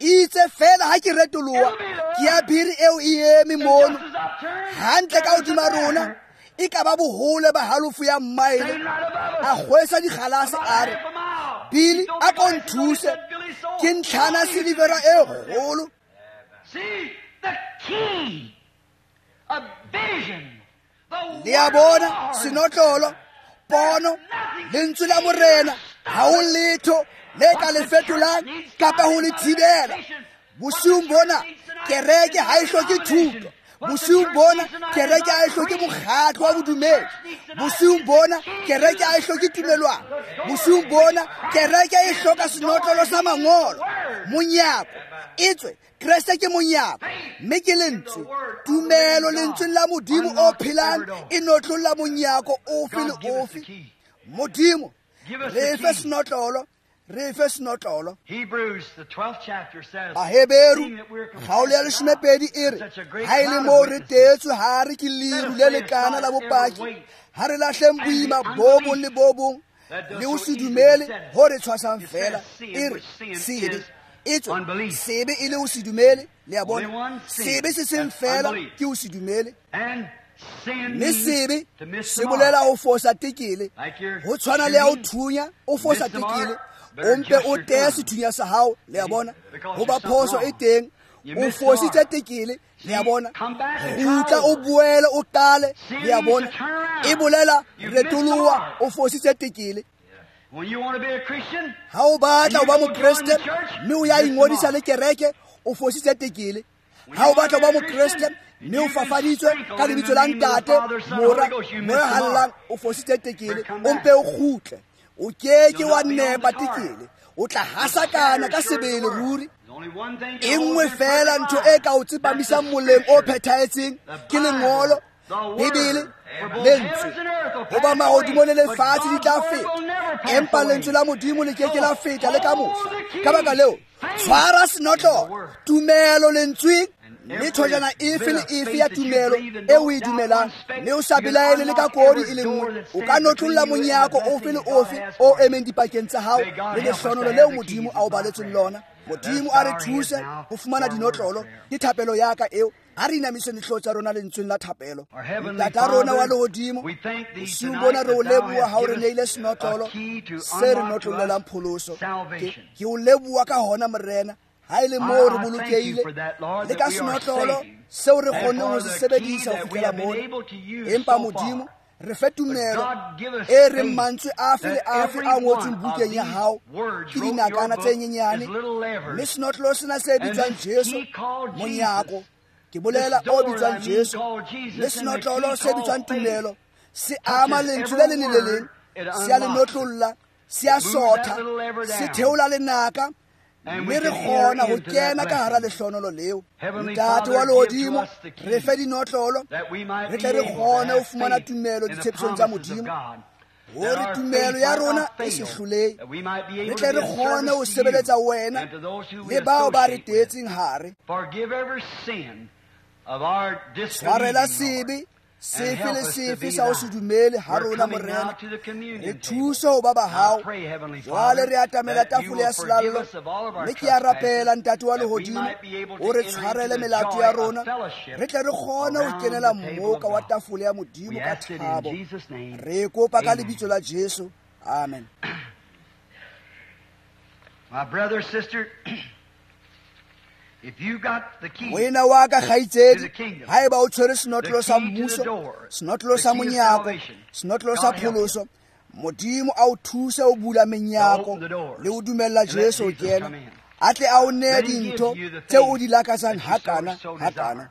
Itse fela ha ke retoloha, ke ya bere eo e eme mono hantle ka hodima rona, e ka ba bohole ba halofo ya maele. A kgwesa dikgalase a re, Billy, a ko nthuse, ke ntlhana silivera e kgolo. Le a bona senotlolo, pono, lentswe la morena, ha ho letho le ka le fetolang kapa ho le thibela. Bosiung bona kereke ha e hloke thuto. Bosiung bona kereke ha e hloke mokgatlo wa bodumedi. Bosiung bona kereke ha e hloke tumelwana. Bosiung bona kereke e hloka senotlolo sa mangolo, monyako. Etswe Kreste ke monyako, mme ke lentswe. Tumelo lentsweng la Modimo o phelang e notlolla monyako ofe le ofe. Modimo re fe senotlolo, re fe senotlolo. Baheberu kgaolo ya 12 e re, ha e le moo re teetswe hare ke leru le lekana la bopaki, ha re lahleng boima bo bong le bo bong le ho se dumele ho re tshwasang fela. E re sebe, etswe sebe e le ho se dumele. Le a bona, sebe se seng fela ke ho se dumele. Mme sebe se bolela ho fosa tekele, ho tshwana le ya ho thunya. O fosa tekele, o mpe o teya sethunya sa hao. Le a bona, hoba phoso e teng, o fositse tekele. Le a bona, kgutla o boele o qale. Le a bona, e bolela retoloha, o fositse tekele. Ha o batla ho ba mokreste mme o ya ingodisa le kereke, o fositse tekele. Ha o batla ho ba mokreste mme o fafaditswe ka lebitso la Ntate, Mora, Moya Hallang, o fositse tekele. O mpe o kgutle, o keke wa nepa tekele, o tla hasakana ka sebele ruri. E nngwe fela ntho e ka o tsepamisang moleng o phethahetseng ke lengolo, Bibele, lentswe, hoba mahodimo le lefatshe di tla feta, empa lentswe la Modimo le ke ke la feta le ka mohla. Ka baka leo, tshwara senotlolo, tumelo lentsweng, mme thojana efe le efe ya tumelo e o e dumelang, mme o sa belaele le ka kodi e le nngwe, o ka notlolla monyako ofe le ofe o emeng dipakeng tsa hao le lehlonolo leo Modimo a o baletseng lona. Modimo a re thuse ho fumana dinotlolo. Ke thapelo ya ka eo. Ha re inamiseng dihlooho tsa rona lentsweng la thapelo. Ntata rona wa lehodimo, bosiung bona re o leboha ha o re neile senotlolo se re notlollelang pholoso. Ke o leboha ka hona, Morena, ha e le moo re bolokehile le ka senotlolo seo re kgonneng ho se sebedisa ho fihlela mona. Empa Modimo, re fe tumelo e reng mantswe afe le afe a ngotsweng bukeng ya hao ke dinakana tse nyenyane, mme senotlolo sena se bitswang Jesu, monyako, ke bolela o bitswang Jesu, le senotlolo se bitswang tumelo, se ama lentswe le leng le le leng, se a le notlolla, se a sotha, se theola lenaka, mme re kgona ho kena ka hara lehlonolo leo. Ntate wa lehodimo, re fe dinotlolo, re tle re kgone ho fumana tumelo ditshepisong tsa Modimo, hore tumelo ya rona e se hlolehe, re tle re kgone ho sebeletsa wena le bao ba re teetseng hare. Tshwarela sebe sefe le sefe sa ho se dumele ha rona, Morena, re thuse ho ba ba hao. Jwale re atamela tafole ya selallo, mme ke a rapela, Ntate wa lehodimo, o re tshwarele melato ya rona, re tle re kgone ho kenela mmoka wa tafole ya Modimo ka thabo. Re kopa ka lebitso la Jesu. Amen. My brother, sister, if you got the key Moena wa ka kgaitsedi, to the kingdom, haeba o tshwere senotlolo sa the key to the mmuso, door, senotlolo sa the key of monyako, salvation, senotlolo sa God help you. pholoso, Modimo a o thuse ho bula menyako To open the doors le ho dumella and let Jesu ho Jesus kena, come in. a tle a o neye Let him give dintho you the tseo o things di lakatsang that you hakana, so hakana. desire.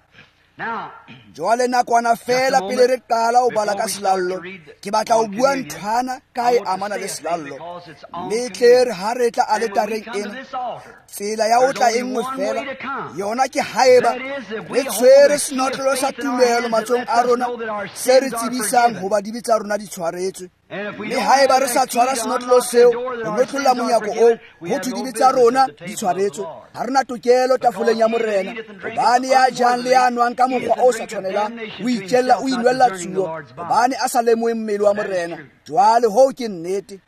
Now, Jwale nakwana fela Just a pele re moment qala ho bala before ka we start to selallo, read the- ke batla ho on bua communion, nthwana ka I e want to amana say le a thing selallo. because it's on Mme tle communion. re ha re tla And when we aletareng come to ena, this altar, tsela ya ho there's tla only e nngwe one way fela, to come. yona ke haeba That is, if we re hold tshwere the key of senotlolo sa faith in our tumelo hands that matsohong lets a us rona, know that our se re sins are tsebisang forgiven. hoba dibe tsa rona di tshwaretswe. And if we Mme don't haeba have re sa that key tshwara to senotlolo unlock the seo, door that ho our notlolla sins are monyako oo, forgiven, we ho have thwe no dibe tsa business at rona the di table of the tshwaretswe. Lord. Ha rena tokelo tafoleng ya Because he that Morena, eateth and drinketh hobane ya jang le ya nwang ka unworthily mokgwa o eateth sa and drinketh tshwanelang, damnation o to itjella, o himself, not inwella discerning the tsuo, Lord's body. hobane a sa lemohe mmele wa That is Morena. true. Jwale hoo ke nnete.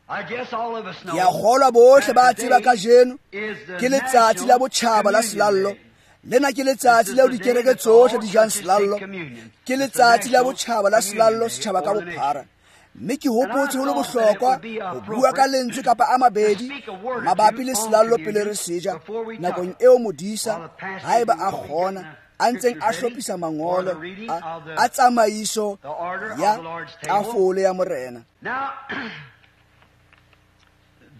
I guess all of us know Ke a kgolwa bohle that ba tseba today kajeno is the ke letsatsi la National botjhaba la Communion selallo. Day. Lena ke letsatsi This is leo the day dikereke that all tsohle di jang churches take selallo. communion. Ke It's the letsatsi la National botjhaba la selallo Communion Day setjhaba ka for the nation. bophara. Mme ke And I hopotse ho le thought that it bohlokwa would be ho bua ka appropriate lentswe kapa a to mabedi speak a word or mabapi two le on selallo pele communion re se ja, before we touch nakong it. eo modisa, While the pastor haeba will a be kgona, getting the a ntseng a scriptures ready hlophisa for mangolo the reading of a tsamaiso the order of ya the Lord's table. tafole ya Morena. Now,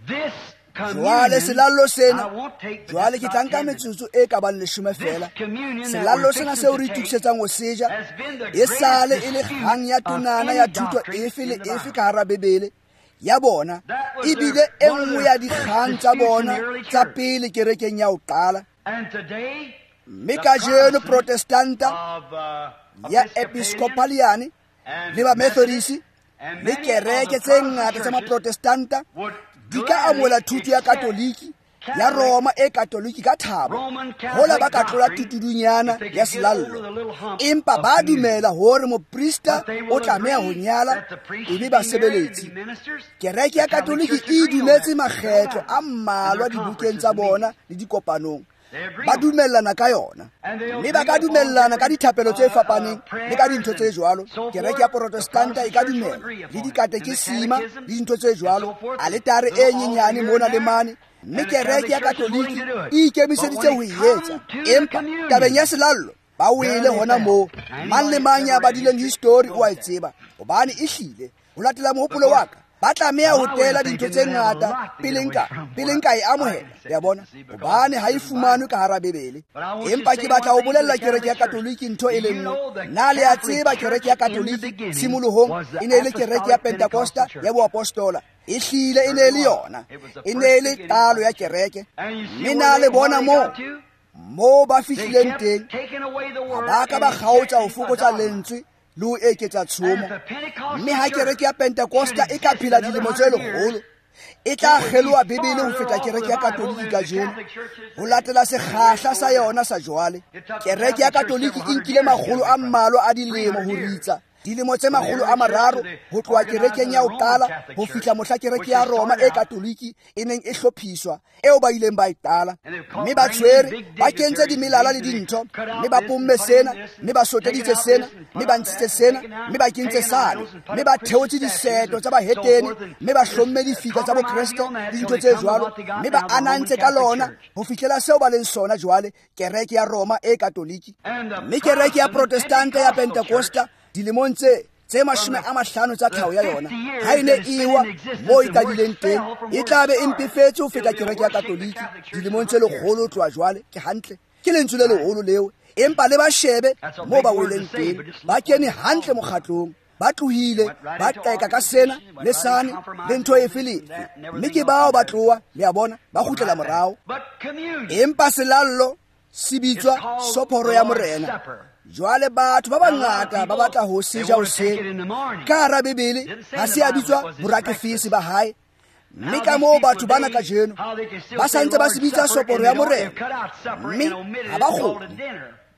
this Jwale communion, selallo sena, I won't take but jwale just ke about tla nka 10 minutes. metsotso e ka bang leshome This fela. communion that Selallo we're sena fixing seo to re take itokisetsang ho se ja, has been the e sale greatest e le dispute kgang ya of tonana any ya thuto doctrine efe le in the efe Bible. ka hara Bibele ya bona. That was Ebile their, e one of nngwe their ya first dikgang tsa disputes in the bona early tsa church. pele kerekeng ya ho qala. And today, Mme the kajeno Protestants Protestanta of ya Episcopalian Episcopaliane and le ba Methodist Methodist and le many of kereke the tse Protestant ngata tsa churches Maprotestanta would di ka gladly amohela thuto ya accept Katoliki ya Catholic, Roma e Katoliki ka thabo, Roman hola ba Catholic ka tlola doctrine tutudunyana if they ya could get over selallo. the little hump Empa of ba communion. dumela hore moprista But they o will tlameha ho agree nyala that the priest e be should be married and basebeletsi. be ministers. Kereke The ya Catholic Katoliki Church e agree on dumetse that. No makgetlo doubt. a In their mmalwa dibukeng conferences tsa and bona meetings. le dikopanong. They agree Ba on it. dumellana ka yona. And they'll Mme ba agree ka upon dumellana ka different dithapelo tse fapaneng le ka prayers dintho tse and jwalo. so Kereke forth. ya The Protestanta e Protestant ka church will dumela agree le upon it. And the dikatekesima le catechism dintho tse and so jwalo, forth. The aletare e little altar nyenyane here and mona le there. mane. Mme And the kereke Catholic ya Church is willing Katoliki to do it. e But when ikemiseditse ho it e etsa. comes to the Empa tabeng ya communion, selallo ba there wele they hona fell. moo. Now, Mang le anybody mang that's ya ever read badileng history history o a knows e that. tseba, hobane ehlile ho latela Of mohopolo wa course, ka, ba tlameha ho I was tela dintho thinking tse they'd have a ngata lot to get pele away nka from pele what nka e I can amohela. accept Le a it, bona, you see, because hobane it's ha e in the fumanwe Bible. ka hara Bibele. But I want you to Empa say ke batla one ho thing to bolella the kereke ya Catholic Church. Katoliki ntho Do e le you nngwe. know the Na le a Catholic tseba kereke Church ya in the Katoliki beginning tshimolohong was the e ne e le kereke ya Apostolic Pentecostal Pentecosta Church? ya boapostola. Ehlile e ne e Certainly le was. yona. It was the E ne first e le beginning qalo of ya the church. kereke. And you see Mme where na they le where bona they moo got to? Moo ba fihlileng teng, ha ba ka ba kgaotsa ho fokotsa lentswe le ho eketsa tshomo. Mme ha kereke ya Pentekosta e ka phela dilemo tse lekgolo, e tla kgeloha Bibele ho feta kereke ya Katoliki kajeno, ho latela sekgahla sa yona sa jwale. Kereke ya Katoliki e nkile makgolo a mmalwa a dilemo ho ritsa, dilemo tse 300 ho tloha kerekeng ya ho qala ho fihla mohla kereke ya Roma e Katoliki e neng e hlophiswa, eo ba ileng ba e qala. Mme ba tshwere, ba kentse dimelala le dintho, mme ba pomme sena, mme ba soteditse sena, mme ba ntshitse sena, mme ba kentse sane, mme ba theotse diseto tsa bahetene, mme ba hlomme difika tsa bokreste le dintho tse jwalo, mme ba anantse ka lona ho fihlela seo ba leng sona jwale, kereke ya Roma e Katoliki. Mme kereke ya Protestanta ya Pentekosta dilemong tse 50 tsa tlhaho ya yona, ha e ne e wa moo e qadileng teng, e tla be e mpefetse ho feta kereke ya Katoliki dilemong tse 100 tloha jwale. Ke hantle, ke lentswe le leholo leo, empa le ba shebe moo ba weleng teng. Ba kene hantle mokgatlong, ba tlohile, ba qeka ka sena le sane le ntho efe le efe, mme ke bao ba tloha, le a bona, ba kgutlela morao. Empa selallo se bitswa soporo ya Morena. Jwale batho ba bangata ba batla ho se ja hoseng. Ka hara Bibele ha se a bitswa borakefese ba hae, mme ka moo batho bana kajeno ba sa ntse ba se bitsa soporo ya Morena, mme ha ba kgone.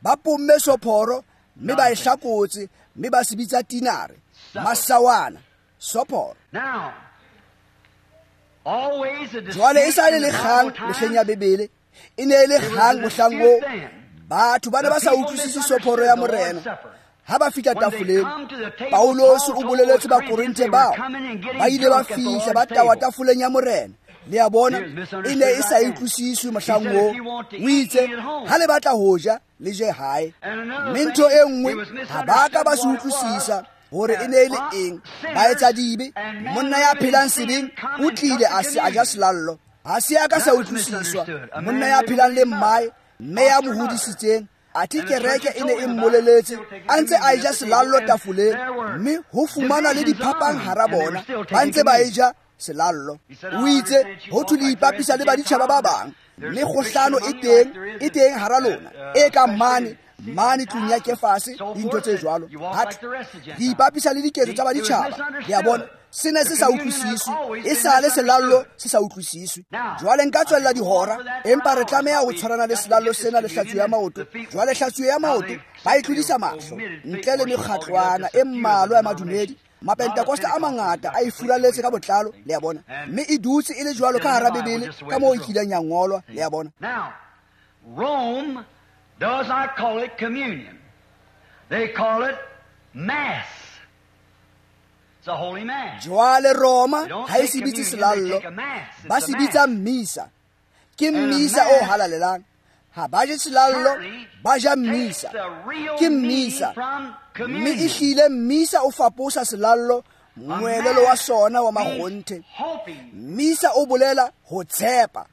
Ba pomme soporo mme ba e hlakotse, mme ba se bitsa tinare, masawana, soporo. Jwale e sa le kgang mehleng ya Bibele, e ne e le kgang mohlang oo. Batho ba ne ba sa utlwisise soporo ya Morena. Ha ba fihla tafoleng, Paulosi o boleletse Bakorinthe bao ba ile ba fihla ba tawa tafoleng ya Morena. Le a bona, e ne e sa utlwisiswe mohlang oo. O itse, ha le batla ho ja, le je hae. Mme ntho e nngwe, ha ba ka ba se utlwisisa hore e ne e le eng. Ba etsa dibe, monna ya phelang sebeng o tlile a se a ja selallo. Ha se a ka sa utlwisiswa, monna ya phelang le mmae, mme ya mo hodisitseng, athe kereke e ne e mmoleletse a ntse a eja selallo tafoleng, mme ho fumana le diphapang hara bona, ba ntse ba eja selallo. O itse ho thwe le ipapisa le baditjhaba ba bang, mme kgohlano e teng hara lona, e kang mane mane tlung ya Kefase, dintho tse jwalo. Hape le ipapisa le diketso tsa baditjhaba. Le a bona, se ne se sa utlwisiswe, e sale selallo se sa utlwisiswe. Jwale nka tswella dihora, empa re tlameha ho tshwarana le selallo sena le hlatsuo ya maoto. Jwale hlatsuo ya maoto ba e tlodisa mahlo, ntle le mekgatlwana e mmalwa ya madumedi. Mapentekosta a mangata a e furaletse ka botlalo, le a bona, mme e dutse e le jwalo ka hara Bibele ka moo e kileng ya ngolwa, le a bona. Rome does not call it communion. They call it mass. It's a holy mass. Jwale Roma ha e se bitse selallo, ba se bitsa mmisa. Ke mmisa o halalelang. Ha ba je selallo, ba ja mmisa. Ke mmisa. Mme e hlile mmisa o faposa selallo, moelelo wa sona wa makgonthe. Mmisa o bolela ho tshepa.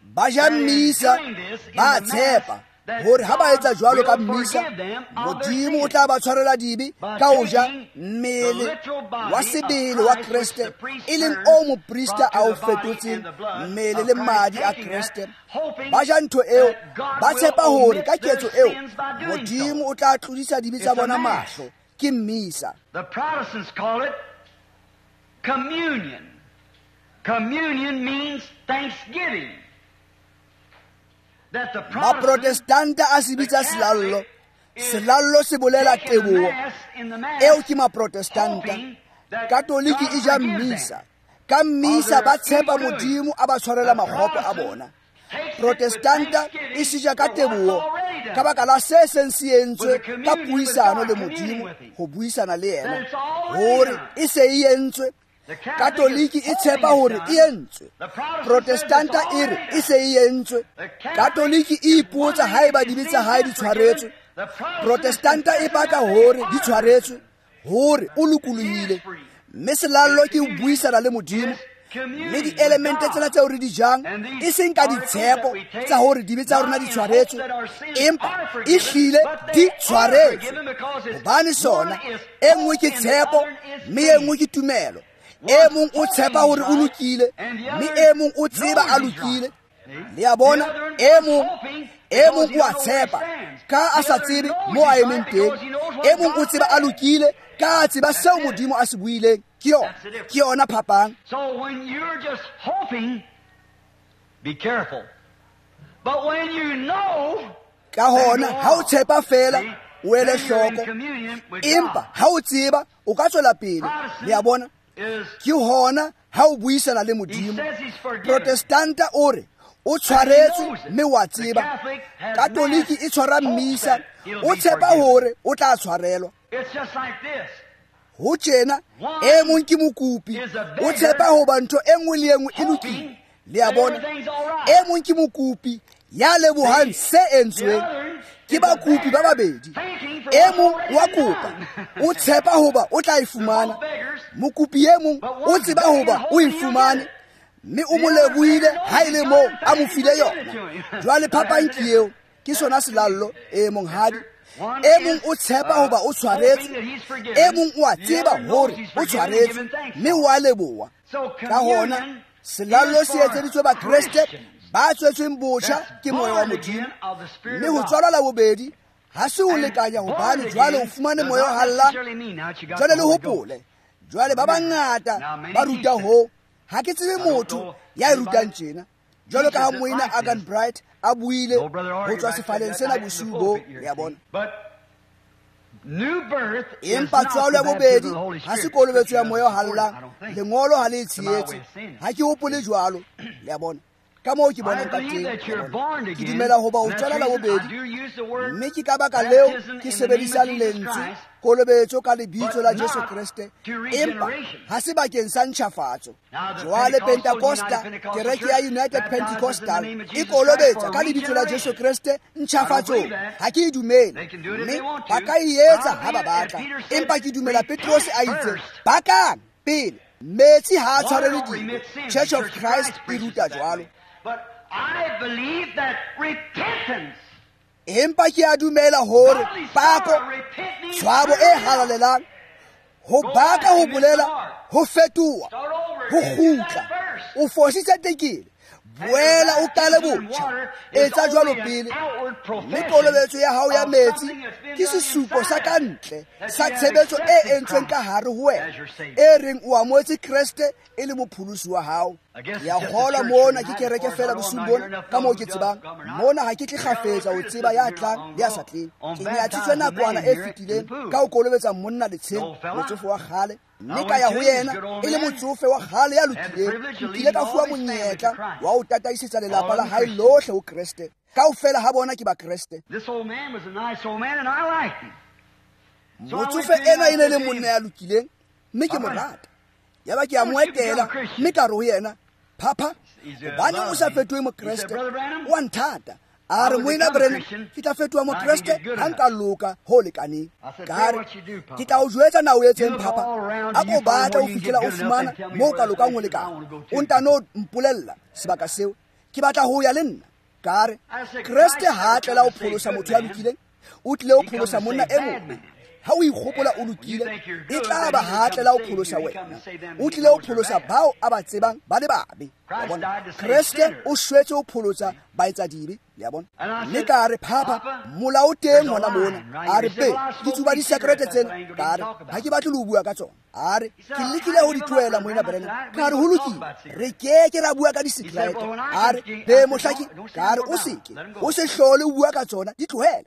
Ba ja mmisa, ba tshepa hore ha ba etsa jwalo ka mmisa, Modimo o tla ba tshwarela dibe ka ho ja mmele wa sebele wa Kreste, e leng o moprista a o fetotseng mmele le madi a Kreste. Ba ja ntho eo, ba tshepa hore ka ketso eo Modimo o tla tlodisa dibe tsa bona mahlo. Ke mmisa. The Protestants call it communion. Communion means thanksgiving. Maprotestanta a se bitsa selallo. Selallo se bolela teboho. Eo ke Maprotestanta. Katoliki e ja mmisa. Ka mmisa ba tshepa Modimo a ba tshwarela makgopo a bona. Protestanta e se ja ka teboho ka baka la se seng se entswe ka puisano le Modimo, ho buisana le yena hore e se e entswe. Katoliki e tshepa hore e entswe. Protestanta e re e se e entswe. Katoliki e ipotsa haeba dibe tsa hae di tshwaretswe. Protestanta e baka hore di tshwaretswe, hore o lokolohile. Mme selallo ke ho buisana le Modimo. Mme dielemente tsena tseo re di jang, e seng ka ditshepo tsa hore dibe tsa rona di tshwaretswe, empa e hlile di tshwaretswe. Hobane sona e nngwe ke tshepo, mme e nngwe ke tumelo. E mong o tshepa hore o lokile, mme e mong o tseba a lokile. Le a bona, e mong o a tshepa ka a sa tsebe mo a emeng teng, e mong o tseba a lokile ka a tseba seo Modimo a se buileng. Ke yona phapang. So when you're just hoping, be careful. But when you know, ka hona ha o tshepa fela o ele hloko, empa ha o tseba o ka tswela pele. Le a bona, ke hona ha o buisana le Modimo. Protestanta o re o tshwaretswe mme wa tseba. Katoliki e tshwara mmisa, o tshepa hore o tla tshwarelwa. Ho tjena e mong ke mokopi, o tshepa hoba ntho e nngwe le e nngwe e lokile. Le a bona, e mong ke mokopi ya lebohang se entsweng. Ke bakopi ba babedi, e mong wa kopa o tshepa hoba o tla e fumana, mokopi e mong o tseba hoba o e fumane mme o mo lebohile ha e le moo a mo file yona. Jwale phapang ke eo, ke sona selallo. E monghadi, e mong o tshepa hoba o tshwaretswe, e mong o a tseba hore o tshwaretswe mme o a leboha. Ka hona selallo se etseditswe Bakreste ba tswetsweng botjha ke moya wa Modimo, mme ho tswalwa la bobedi ha se ho lekanya hobane jwale o fumane moya o halalelang. Jwale le hopole, jwale ba bangata ba ruta ho, ha ke tsebe motho ya e rutang tjena. Jwalo ka ha moena Agan Bright a buile ho tswa sefaleng sena bosiu bo, le a bona. Empa tswalo ya bobedi ha se kolobetso ya moya o halalelang, lengolo ha le e tshehetse. Ha ke hopole jwalo, le a bona. Ka moo ke bonang ka teng, ke dumela hoba o tswala la bobedi, mme ke ka baka leo ke sebedisang lentswe kolobetso ka lebitso la Jesu Kreste, empa ha se bakeng sa ntjhafatso. Jwale Pentecosta, kereke ya United Pentecostal e kolobetsa ka lebitso la Jesu Kreste ntjhafatsong. Ha ke e dumele, mme ba ka e etsa ha ba batla, empa ke dumela Petrose a itse bakang pele metsi ha a tshwarele dibe. Church of Christ e ruta jwalo. But I believe that repentance, empa ke a dumela hore pako, tshwabo e halalelang, ho baka, ho bolela, ho fetoha, ho kgutla. O fositse tekele, boela o qale botjha, etsa jwalo pele. Mme kolobetso ya hao ya metsi ke sesupo sa ka ntle sa tshebetso e entsweng ka hare ho wena, e reng o amohetse Kreste e le mopholosi wa hao. Ya kgolwa mona ke kereke fela bosiung bona, ka moo ke tsebang mona ha ke tle kgafetsa ho tseba ya tlang le ya sa tleng. Ke nyatsitswe nakwana e fetileng ka ho kolobetsa monna letsheng, motsofe wa kgale, mme ka ya ho yena e le motsofe wa kgale ya lokileng. Nkile ka fuwa monyetla wa ho tataisetsa lelapa la hae lohle ho Kreste. Kaofela ha bona ke Bakreste. Motsofe ena e ne le monna ya lokileng, mme ke mo rata. Yaba ke a mo etela, mme ka re ho yena, Papa, hobane o sa fetohe Mokreste, o a nthata. A re, moena Branham, ke tla fetoha Mokreste ha nka loka ho lekaneng. Ka re, ke tla o jwetsa na o etseng, Papa. A ko batla ho fihlela o fumana moo ka lokang ho lekana. O ntano mpolella sebaka seo. Ke batla ho ya le nna. Ka re, Kreste ha a tlela ho pholosa motho ya lokileng, o tlile ho pholosa monna e mobe. Ha o ikgopola o lokile, e tla ba ha tlela ho pholosa wena. O tlile ho pholosa bao a ba tsebang ba le babe. Kreste o shwetse ho pholosa baetsadibe, le a bona. Mme ka re, Papa, molao o teng hona mona. A re, be, ke tsuba disekerete tsena. Ka re, ha ke batle le ho bua ka tsona. A re, ke lekile ho di tlohela, moena Branham. Ka re, ho lokile, re keke ra bua ka disekerete. A re, be, mohlaki. Ka re, o seke, o se hlole o bua ka tsona, di tlohele.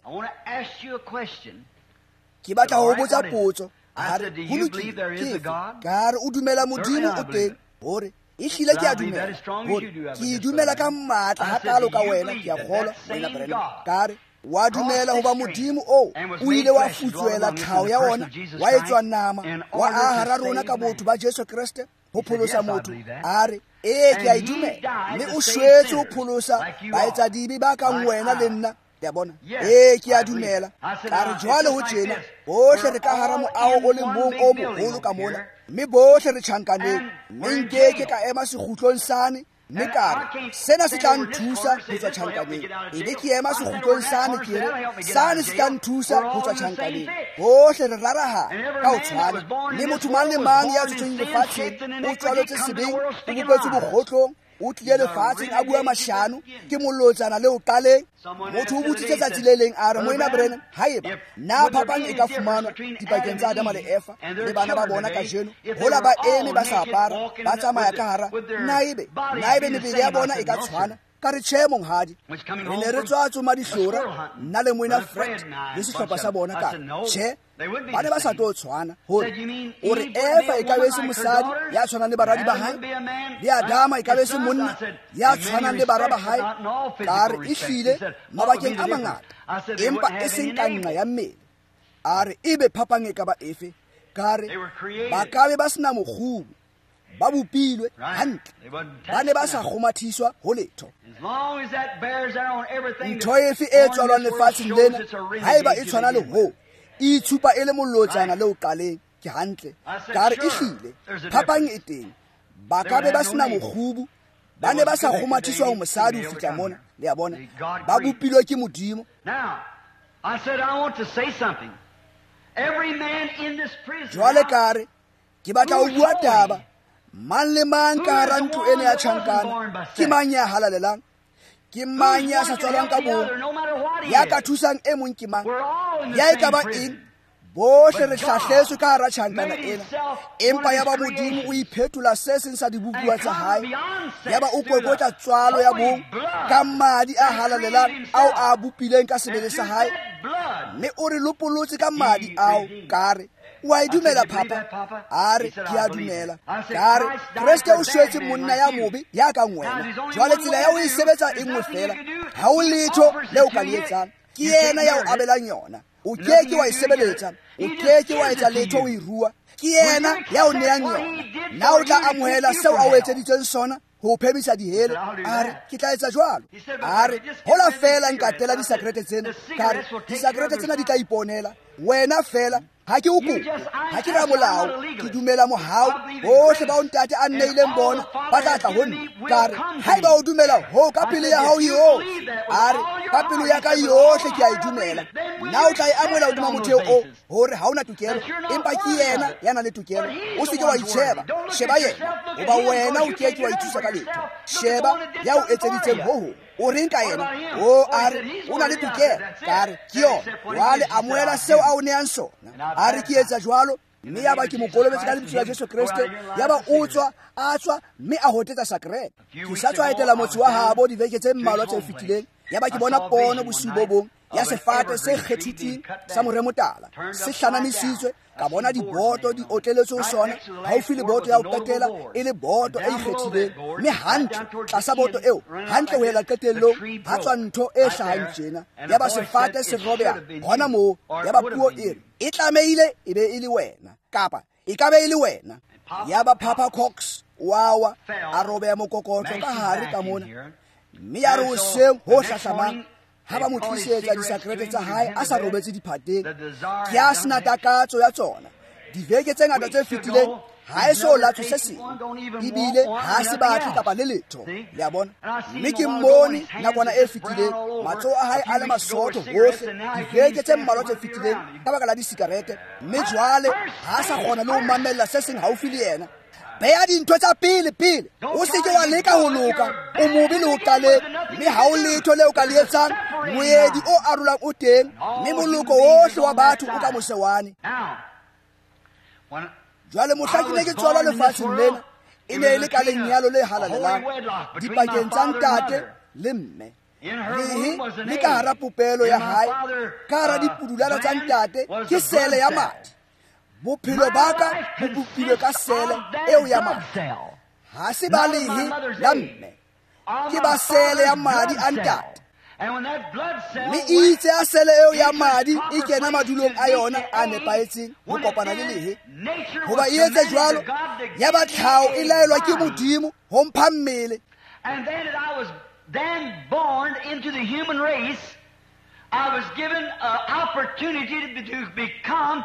Ke batla ho botsa potso. A re, ho lokile, ke efe? Ka re, o dumela Modimo o teng? Hore ehlile ke a dumela. Hore ke dumela ka matla hakalo ka wena, ke a kgolwa, moena Branham. Ka re, wa dumela hoba Modimo oo o ile wa futswela tlhaho ya ona, wa etswa nama, wa aha hara rona ka botho ba Jesu Kreste ho pholosa motho. A re, ee, ke a e dumela. Mme o shwetse ho pholosa baetsadibe ba kang wena le nna. Le a bona? Ee, ke a dumela. Ka re, jwale ho tjena, bohle re ka hara moaho o le mong o moholo ka mona, mme bohle re tjhankaneng. Mme nkeke ka ema sekgutlong sane, mme ka re, sena se tla nthusa ho tswa tjhankaneng. Ebe ke ema sekgutlong sane, ke re, sane se tla nthusa ho tswa tjhankaneng. Bohle re rarahana ka ho tshwana. Mme motho mang le mang ya tswetsweng lefatsheng o tswaletswe sebeng, o bopetswe bokgotlong, O tlile lefatsheng a bua mashano, ke molotsana le o qaleng. Motho o botsitse tsatsi le leng a re, Moena Branham, haeba na phapang e ka fumanwa dipakeng tsa Adama le Eva le bana ba bona kajeno, hola ba eme ba sa apara, ba tsamaya ka hara, na ebe mebele ya bona e ka tshwana? Ka re tjhe, monghadi. Re ne re tswa tsoma dihlora, nna le Moena Fred le sehlopha sa bona. Ka tjhe, ba ne ba sa tlo tshwana. Hore o re Eva e ka be se mosadi ya tshwanang le baradi ba hae, le Adama e ka be se monna ya tshwanang le bara ba hae. Ka re ehlile mabakeng a mangata, empa e seng ka nqa ya mmele. A re ebe phapang e ka ba efe? Ka re ba ka be ba sena mokgubu, ba bopilwe hantle, ba ne ba sa kgomathiswa ho letho. Ntho efe e tswalwang lefatsheng lena, haeba e tshwana le hoo, e itshupa e le molotsana le o qaleng. Ke hantle. Ka re ehlile phapang e teng, ba ka be ba sena mokgubu, ba ne ba sa kgomathiswa ho mosadi ho fihla mona. Le a bona, ba bopilwe ke Modimo. Jwale ka re ke batla ho bua taba. Mang le mang ka hara ntlo ena ya tjhankana, ke mang ya halalelang? Ke mang ya sa tswalwang ka bong? Ya ka thusang e mong ke mang? Ya e ka ba eng? Bohle re hlahletswe ka hara tjhankana ena. Empa ya ba Modimo o iphetola se seng sa dibopuwa tsa hae, ya ba o kokotla tswalo ya bong ka madi a halalelang ao a bopileng ka sebele sa hae, mme o re lopolotse ka madi ao. Ka re wa e dumela, Papa? A re ke a dumela. Ka re Kreste o shwetse monna ya mobe ya kang wena. Jwale tsela ya ho e sebetsa e nngwe fela, ha o letho le o ka le etsang, ke yena ya o abelang yona. O ke ke wa e sebeletsa, o ke ke wa etsa letho o e rua, ke yena ya o neang yona. Na o tla amohela seo a o etseditseng sona ho phemisa dihele? A re ke tla etsa jwalo. A re hola fela nkatela disakrete tsena. Ka re disakrete tsena di tla iponela wena fela. Ha ke o kope, ha ke ramolao, ke dumela mohau. Bohle bao ntate a nneileng bona ba tla tla ho nna. Ka re haeba o dumela ho ka pelo ya hao yohle. A re ka pelo ya ka yohle ke a e dumela. Na o tla e amohela hodima motheo o hore ha o na tokelo, empa ke yena ya nang le tokelo. O se ke wa itsheba, sheba yena, hoba wena o ke ke wa ithusa ka letho. Sheba ya o etseditseng ho hong. O reng ka yena? O a re o na le tokelo. Ka re ke yona. Jwale amohela seo a o neang sona. A re ke etsa jwalo, mme ya ba ke mo kolobetse ka lebitso la Jesu Kreste. Ya ba o tswa, a tswa, mme a hotetsa sakrete. Ke sa tswa etela motse wa habo dibeke tse mmalwa tse fetileng. Ya ba ke bona pono bosiu bo bong ya sefate se kgethitsweng sa moremotala se hlanamisitswe. Ka bona diboto di otleletswe ho sona, haufi le boto ya ho qetela e le boto e ikgethileng, mme hantle tlasa boto eo, hantle ho ela qetellong, ha tswa ntho e hlahang tjena. Ya ba sefate se robeha hona moo. Ya ba puo e re e tlamehile e be e le wena, kapa e ka be e le wena. Ya ba Papa Cox wa a robeha mokokotlo ka hare ka mona, mme ya re hoseng ho hlahlamang ha ba mo tlisetsa disakrete tsa hae a sa robetse diphateng, ke a sena takatso ya tsona. Diveke tse ngata tse fetileng ha e so latswe se seng, ebile ha se batle kapa le letho. Le a bona? Mme ke mmone nakwana e fetileng, matsoho a hae a le masootho hohle diveke tse mmalwa tse fetileng ka baka la disikarete, mme jwale ha sa kgona le ho mamella se seng haufi le yena. Beha dintho tsa pele pele, o se ke wa leka ho loka, o mobe le ho qaleng, mme ha o letho le o ka le etsang. Moedi o arolang o teng, mme moloko ohle wa batho o ka mose wane. Jwale mohla ke ne ke tswalwa lefatsheng lena, e ne e le ka lenyalo le halalelang dipakeng tsa ntate le mme. Lehe le ka hara popelo ya hae, ka hara dipudulana tsa ntate, ke sele ya madi. Bophelo ba ka bo bopilwe ka sele eo ya madi. Ha se ba lehe la mme, ke ba sele ya madi a ntate. Mme itse a sele eo ya madi e kena madulong a yona a nepahetseng ho kopana le lehe. Hoba e etse jwalo, ya ba tlhaho e laelwa ke Modimo ho mpha mmele. And then I was then born into the human race. I was given an opportunity to become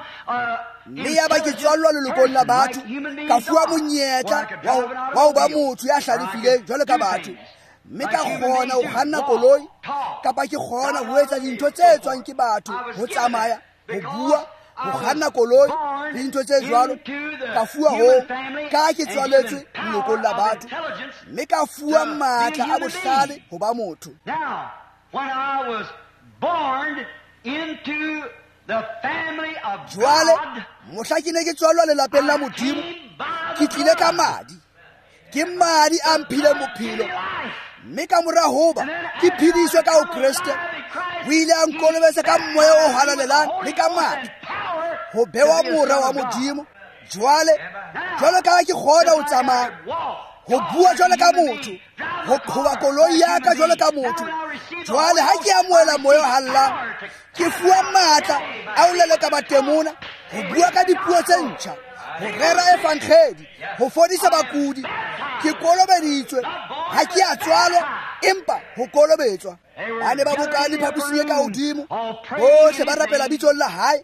mme ya ba ke tswallwa lelokong la batho, ka fuwa monyetla wa ho ba motho ya hlalefileng jwalo ka batho, mme ka kgona ho kganna koloi, kapa ke kgona ho etsa dintho tse etswang ke batho, ho tsamaya, ho bua, ho kganna koloi le dintho tse jwalo. Ka fuwa hoo ka ke tswaletswe lelokong la batho, mme ka fuwa matla a bohlale ho ba motho. Jwale mohla ke ne ke tswalwa lelapeng la Modimo, ke tlile ka madi. Ke madi a mphileng bophelo, mme ka mora hoba ke phediswe ka ho Kreste, o ile a nkolobetsa ka moya o halalelang le ka madi ho bewa mora wa Modimo. Jwale jwalo ka ha ke kgona ho tsamaya, ho bua jwalo ka motho, ho qhoba koloi ya ka jwalo ka motho, jwale ha ke amohela moya o halalelang, ke fuwa matla a ho leleka batemona, ho bua ka dipuo tse ntjha, ho rera evangeli, ho fodisa bakudi. Ke kolobeditswe, ha ke a tswalwa, empa ho kolobetswa. Ba ne ba bokane phaposing e ka hodimo, bohle ba rapela bitsong la hae,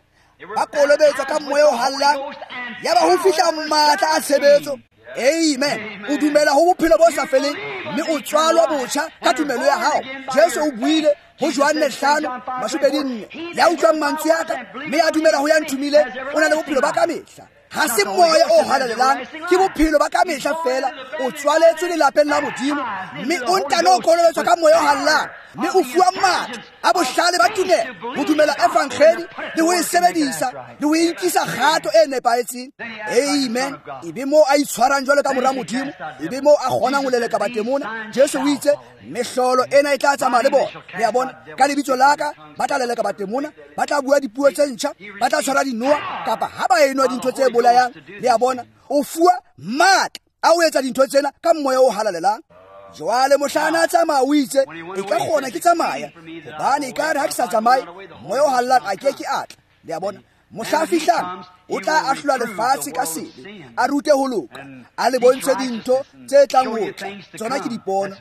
ba kolobetswa ka moya o halalelang, yaba ho fihla matla a tshebetso. Amen. O dumela ho bophelo bo sa feleng, mme o tswalwa botjha ka tumelo ya hao. Jesu o buile ho Johanne 5:24, ya utlwang mantswe a ka mme a dumela ho ya nthomile, o na le bophelo ba kamehla. Ha se moya o halalelang, ke bophelo ba kamehla fela. O tswaletswe lelapeng la Modimo, mme o ntano kolobetswa ka moya o halalelang, mme o fuwa matla a bohlale ba tumelo ho dumela evangeli le ho e sebedisa le ho e nkisa kgato e nepahetseng. Amen. Ebe moo a itshwarang jwalo ka mora Modimo, ebe moo a kgonang ho leleka batemona. Jesu o itse mehlolo ena e tla tsamaya le bona. Le a bona, ka lebitso la ka ba tla leleka batemona, ba tla bua dipuo tse ntjha, ba tla tshwara dinoha, kapa ha ba enwa dintho tse bolayang. Le a bona, o fuwa matla a ho etsa dintho tsena ka moya o halalelang. Jwale mohla a tsamaya o itse, e ka kgona ke tsamaya, hobane ekare ha ke sa tsamaye, moya o halalelang a ke ke a tla. Le a bona, mohla a fihlang o tla ahlola lefatshe ka sebe, a rute ho loka, a le bontshe dintho tse tlang ho tla. Tsona ke dipono.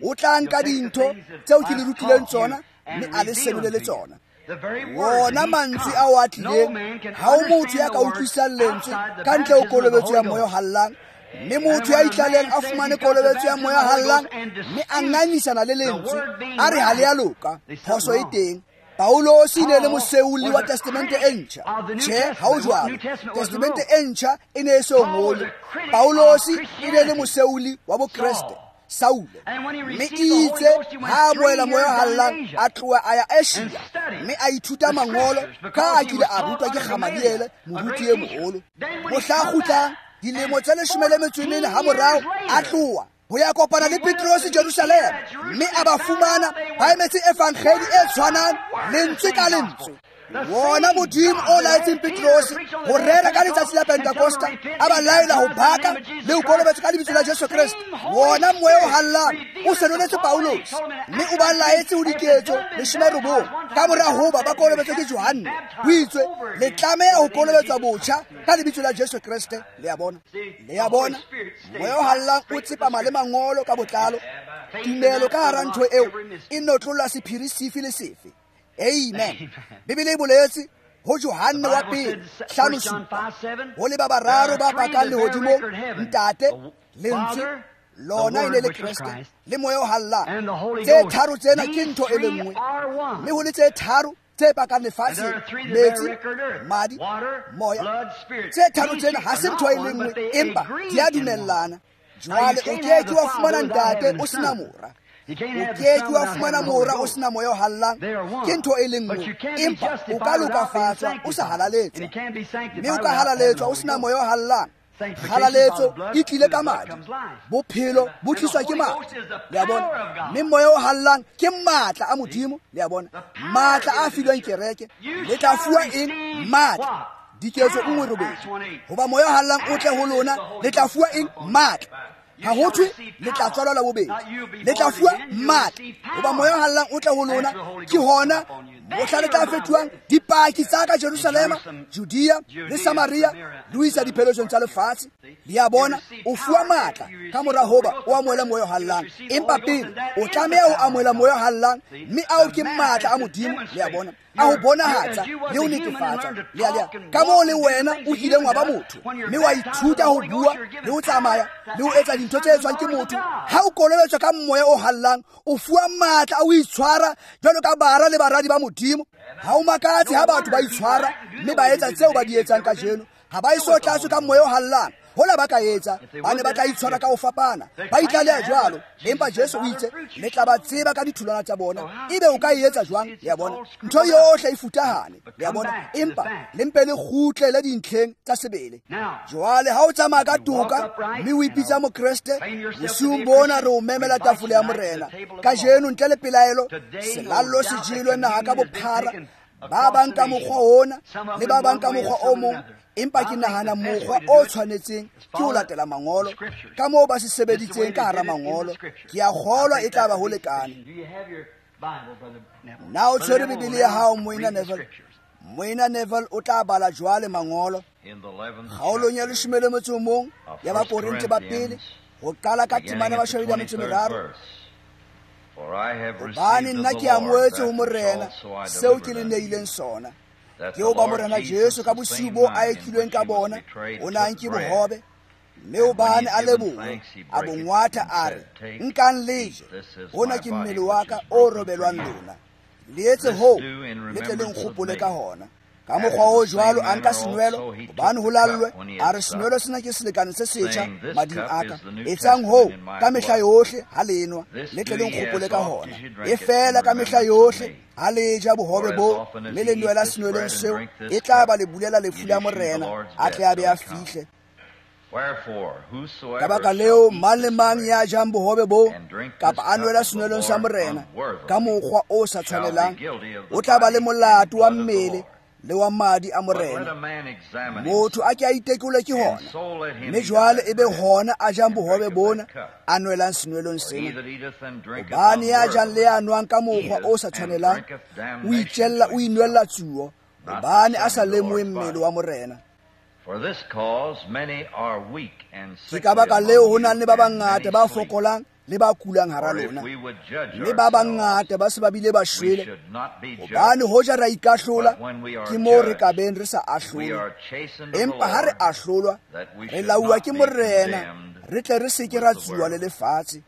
O tla nka dintho tseo ke le rutileng tsona, mme a le senolele tsona. Wona mantswe ao a tlileng, ha ho motho ya ka utlwisisang lentswe ka ntle ho kolobetso ya moya o halalelang. Mme motho ya itlaleng a fumane kolobetso ya moya o halalelang, mme a ngangisana le lentswe, a re ha le a loka, phoso e teng. Paulosi e ne le moseuli wa Testamente e ntjha. Tjhe, ha ho jwalo. Testamente e ntjha e ne e so ngolwe. Paulosi e ne le moseuli wa Bokreste, Saule. Mme itse ha a amohela moya o halalelang, a tloha a ya Asia, mme a ithuta mangolo ka a kile a rutwa ke Gamaliele, moruti e moholo. Mohla a kgutlang dilemo tse 14 ha morao, a tloha ho ya kopana le Petrose Jerusalema, mme a ba fumana ba emetse evangeli e tshwanang lentswe ka lentswe. Wona Modimo o laetseng Petrose ho rera ka letsatsi la Pentekosta, a ba laela ho baka le ho kolobetswa ka lebitso la Jesu Kreste. Wona moya o halalelang o senoletse Paulosi, mme o ba laetse ho diketso 19 ka mora hoba ba kolobetswe ke Johanne. Ho itswe le tlameha ho kolobetswa botjha ka lebitso la Jesu Kreste. Le a bona, le a bona, moya o halalelang o tsepama le mangolo ka botlalo. Tumelo ka hara ntho eo e notlolla sephiri sefe le sefe. Amen. Bibele e boletse ho Johanne wa pele 5:7, ho le ba bararo ba pakang lehodimong, Ntate, Lentswe, lona e ne le Kreste, le moya o halalelang. Tse tharo tsena ke ntho e le nngwe, mme ho le tse tharo tse pakang lefatsheng, metsi, madi, moya. Tse tharo tsena ha se ntho e le nngwe, empa di a dumellana. Jwale o ke ke wa fumana Ntate o sena mora, o ke ke wa fumana mora o sena moya o halalelang. Ke ntho e le nngwe, empa o ka lokafatswa o sa halaletswa, mme o ka halaletswa o sena moya o halalelang. Halaletso e tlile ka madi, bophelo bo tliswa ke madi. Le a bona, mme moya o halalelang ke matla a Modimo. Le a bona, matla a filweng kereke. Le tla fuwa eng? Matla. Diketso 1:8. Hoba moya o halalelang o tle ho lona, le tla fuwa eng? Matla. Ha ho thwe le tla tswalwa la bobedi, le tla fuwa matla. Hoba moya o halalelang o tle ho lona, ke hona mohla le tla fetohang dipaki tsa ka Jerusalema, Judea le Samaria, le ho isa dipheletsong tsa lefatshe. Le a bona, o fuwa matla ka mora hoba o amohele moya o halalelang, empa pele o tlameha ho amohela moya o halalelang, mme ao ke matla a Modimo. Le a bona, a ho bonahatsa le ho netefatsa. Le a ka moo le wena o kileng wa ba motho, mme wa ithuta ho bua le ho tsamaya le ho etsa dintho tse etswang ke motho. Ha o kolobetswa ka moya o halalelang, o fuwa matla a ho itshwara jwalo ka bara le baradi ba Modimo. Modimo. Ha o makatse ha batho ba itshwara mme ba etsa tseo ba di etsang kajeno. Ha ba eso tlatswe ka moya o hallang. Hola ba ka etsa, ba ne ba tla itshwara ka ho fapana. Ba itlaleha jwalo. Empa Jesu o itse, le tla ba tseba ka ditholwana tsa bona. Ebe o ka e etsa jwang? Le a bona? Ntho yohle e futahane. Le a bona? Empa le mpe le kgutlele dintlheng tsa sebele. Jwale ha o tsamaya ka toka mme o ipitsa Mokreste, bosiung bona re o memela tafole ya Morena. Kajeno ntle le pelaelo, selallo se jelwe naha ka bophara. Ba bang ka mokgwa ona le ba bang ka mokgwa o mong. Empa ke nahana mokgwa o tshwanetseng ke ho latela mangolo ka moo ba se sebeditseng ka hara mangolo. Ke a kgolwa e tla ba ho lekane. Na o tshwere Bibele ya hao, Moena Neville? Moena Neville o tla bala jwale mangolo kgaolong ya 11 ya Bakorinthe ba pele, ho qala ka temana ya 23. Hobane nna ke amohetse ho Morena seo ke le neileng sona. Ke hoba Morena Jesu ka bosiu bo a ekilweng ka bona, o ne a nke bohobe, mme hobane a leboha, a bo ngwatha a re, nkang le je, hona ke mmele wa ka o robelwang lona. Le etse hoo, le tle le nkgopole ka hona. Ka mokgwa o jwalo a nka senwelo, hobane ho lallwe, a re senwelo sena ke selekane se setjha mading a ka. Etsang hoo ka mehla yohle ha le enwa, le tle le nkgopole ka hona. E fela ka mehla yohle ha le ja bohobe bo mme le nwela senwelong seo, e tla ba le bulela lefu la Morena, a tle a be a fihle. Ka baka leo, mang le mang ya jang bohobe bo kapa a nwela senwelong sa Morena ka mokgwa o sa tshwanelang, o tla ba le molato wa mmele le wa madi a Morena. Motho a ke a itekole ke hona, mme jwale e be hona a jang bohobe bona a nwelang senwelong sena. Hobane ya jang le ya nwang ka mokgwa o sa tshwanelang, o itjella, o inwella tsuo, hobane a sa lemohe mmele wa Morena. Ke ka baka leo ho nang le ba bangata ba fokolang le ba kulang hara lona, mme ba bangata ba se ba bile ba shwele. Hobane hoja ra ikahlola, ke moo re ka beng re sa ahlolwe. Empa ha re ahlolwa, re lauwa ke Morena, re tle re se ke ra tsuwa le lefatshe.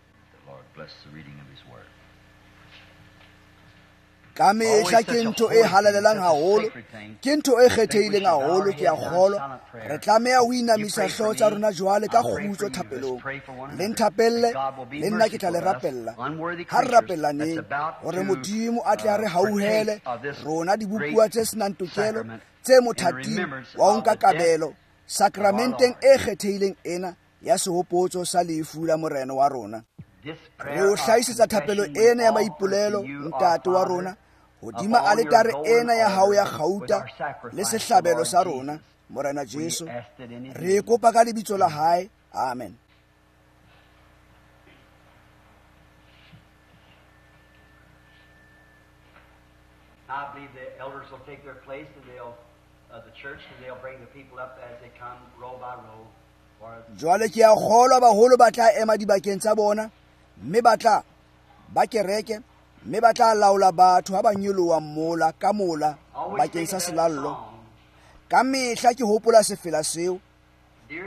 Ka mehla ke ntho e halalelang haholo, ke ntho e kgethehileng haholo. Ke a kgolwa re tlameha ho inamisa hlooho tsa rona jwale ka kgutso thapelong. Le nthapelle, le nna ke tla le rapella. Ha re rapellaneng hore Modimo a tle a re hauhele rona dibopuwa tse senang tokelo tse mothating wa ho nka kabelo sakramenteng e kgethehileng ena ya sehopotso sa lefu la Morena wa rona. Re o hlahisetsa thapelo ena ya maipolelo, Ntate wa rona, hodima aletare ena ya hao ya kgauta le sehlabelo sa rona, Morena Jesu. Re kopa ka lebitso la hae. Amen. I believe the elders will take their place and they'll the church and they'll bring the people up as they come row by row. Jwale ke a kgolwa baholo ba tla ema dibakeng tsa bona, mme ba tla ba kereke, mme ba tla laola batho ha ba nyoloha mola ka mola bakeng sa selallo. Ka mehla ke hopola sefela seo,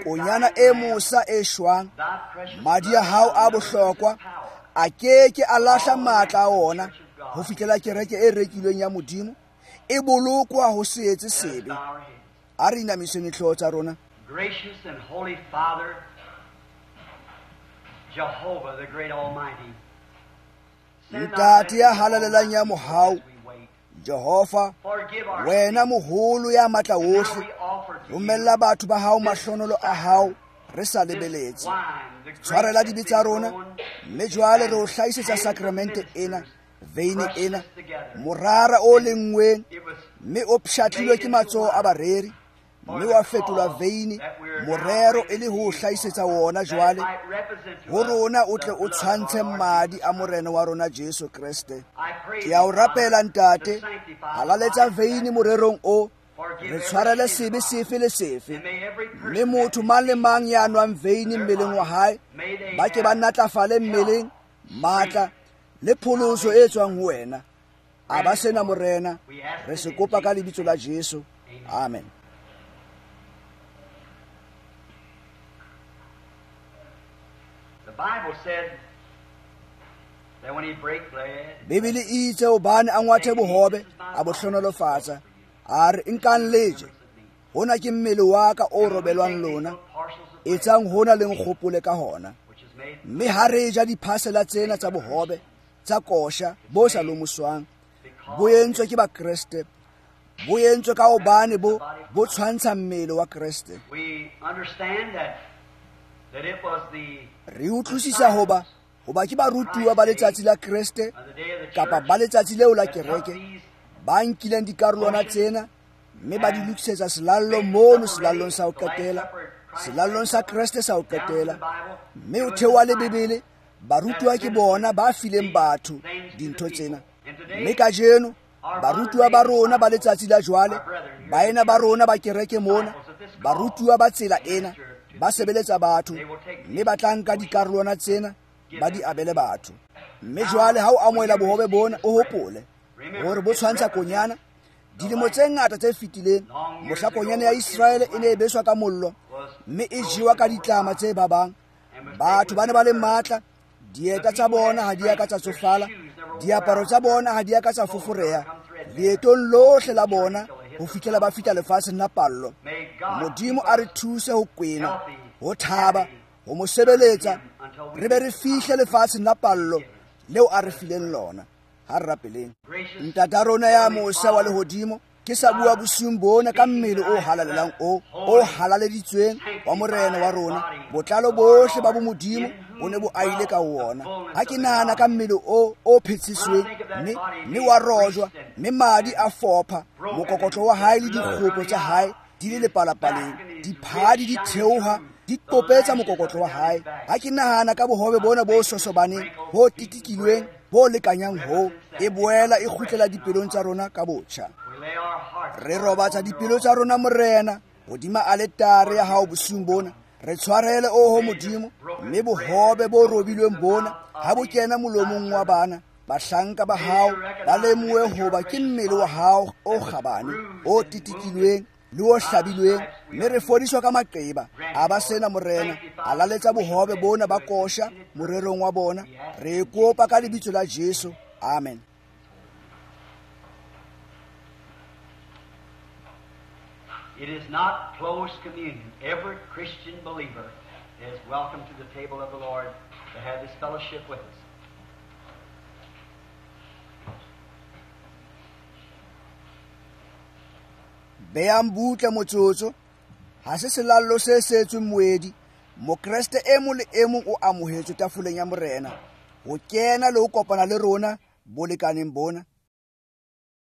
konyana e mosa e shwang, madi a hao a bohlokwa a ke ke a lahla matla a ona ho fihlela kereke e rekilweng ya Modimo e bolokwa ho se etse sebe. A re inamiseng dihlooho tsa rona. Gracious and holy Father, Jehovah, the great Almighty, Ntate ya halalelang ya mohau, Jehova, wena moholo ya matla wohle, romella batho ba hao mahlonolo a hao re sa lebeletse. Tshwarela dibe tsa rona, mme jwale re o hlahisetsa sakramente ena, veine ena, morara o lenngweng, mme o pshatlilwe ke matsoho a bareri, mme wa fetolwa veine, morero e le ho hlahisetsa wona jwale ho rona, o tle o tshwantshe madi a Morena wa rona Jesu Kreste. Ke a o rapela Ntate, halaletsa veine morerong o, re tshwarele sebe sefe le sefe, mme motho mang le mang ya nwang veine mmeleng wa hae, ba ke ba natlafale mmeleng, matla le pholoso e tswang ho wena. A ba sena Morena, re se kopa ka lebitso la Jesu. Amen. Bibele e itse hobane a ngwathe bohobe, a bo hlohonolofatsa, a re nkang le je, hona ke mmele wa ka o robelwang lona, etsang hona le nkgopole ka hona. Mme ha re ja diphasela tsena tsa bohobe tsa kosha bo sa lomoswang, bo entswe ke Bakreste, bo entswe ka hobane bo tshwantsha mmele wa Kreste. Re utlwisisa hoba ke barutuwa ba letsatsi la Kreste kapa ba letsatsi leo la kereke ba nkileng dikarolwana tsena mme ba di lokisetsa selallo mono selallong sa ho qetela, selallong sa Kreste sa ho qetela. Mme o theoha le Bibele, barutuwa ke bona ba fileng batho dintho tsena. Mme kajeno barutuwa ba rona ba letsatsi la jwale, baena ba rona ba kereke mona, barutuwa ba tsela ena ba sebeletsa batho, mme ba tla nka dikarolwana tsena ba di abele batho. Mme jwale ha o amohela bohobe bona, o hopole hore bo tshwantsha konyana. Dilemo tse ngata tse fetileng, mohla konyana ya Iseraele e ne e beswa ka mollo mme e jewa ka ditlama tse babang, batho ba ne ba le matla, dieta tsa bona ha di a ka tsa tsofala, diaparo tsa bona ha di a ka tsa foforeha leetong lohle la bona ho fihlela ba fihla lefatsheng la pallo. Modimo a re thuse ho kwena, ho thaba, ho mo sebeletsa, re be re fihle lefatsheng la pallo leo a re fileng lona. Ha re rapeleng. Ntata rona ya mosa wa lehodimo, ke sa bua bosiung bona ka mmele o halalelang o halaleditsweng wa Morena wa rona. Botlalo bohle ba bomodimo bo ne bo aile ka wona. Ha ke nahana ka mmele o phetsisweng mme wa rojwa, mme madi a fopha, mokokotlo wa hae le dikgopo tsa hae di le lepalapaleng, diphadi di theoha di qopetsa mokokotlo wa hae. Ha ke nahana ka bohobe bona bo sosobaneng, bo titikilweng, bo lekanyang ho, e boela e kgutlela dipelong tsa rona ka botjha. Re robatsa dipelo tsa rona, Morena, hodima aletare ya hao bosiung bona. Re tshwarele, oho Modimo, mme bohobe bo robilweng bona ha bo kena molomong wa bana bahlanka ba hao, ba lemohe hoba ke mmele wa hao o kgabane, o titikilweng le o hlabilweng, mme re fodiswa ka maqeba. A ba sena, Morena, a laletsa bohobe bona ba kosha morerong wa bona. Re kopa ka lebitso la Jesu. Amen. It is not closed communion. Every Christian believer is welcome to the table of the Lord to have this fellowship with us. Beang butle motsotso, ha se selallo se setsweng moedi. Mokreste e mong le e mong o amohetswe tafoleng ya Morena ho kena le ho kopana le rona bolekaneng bona.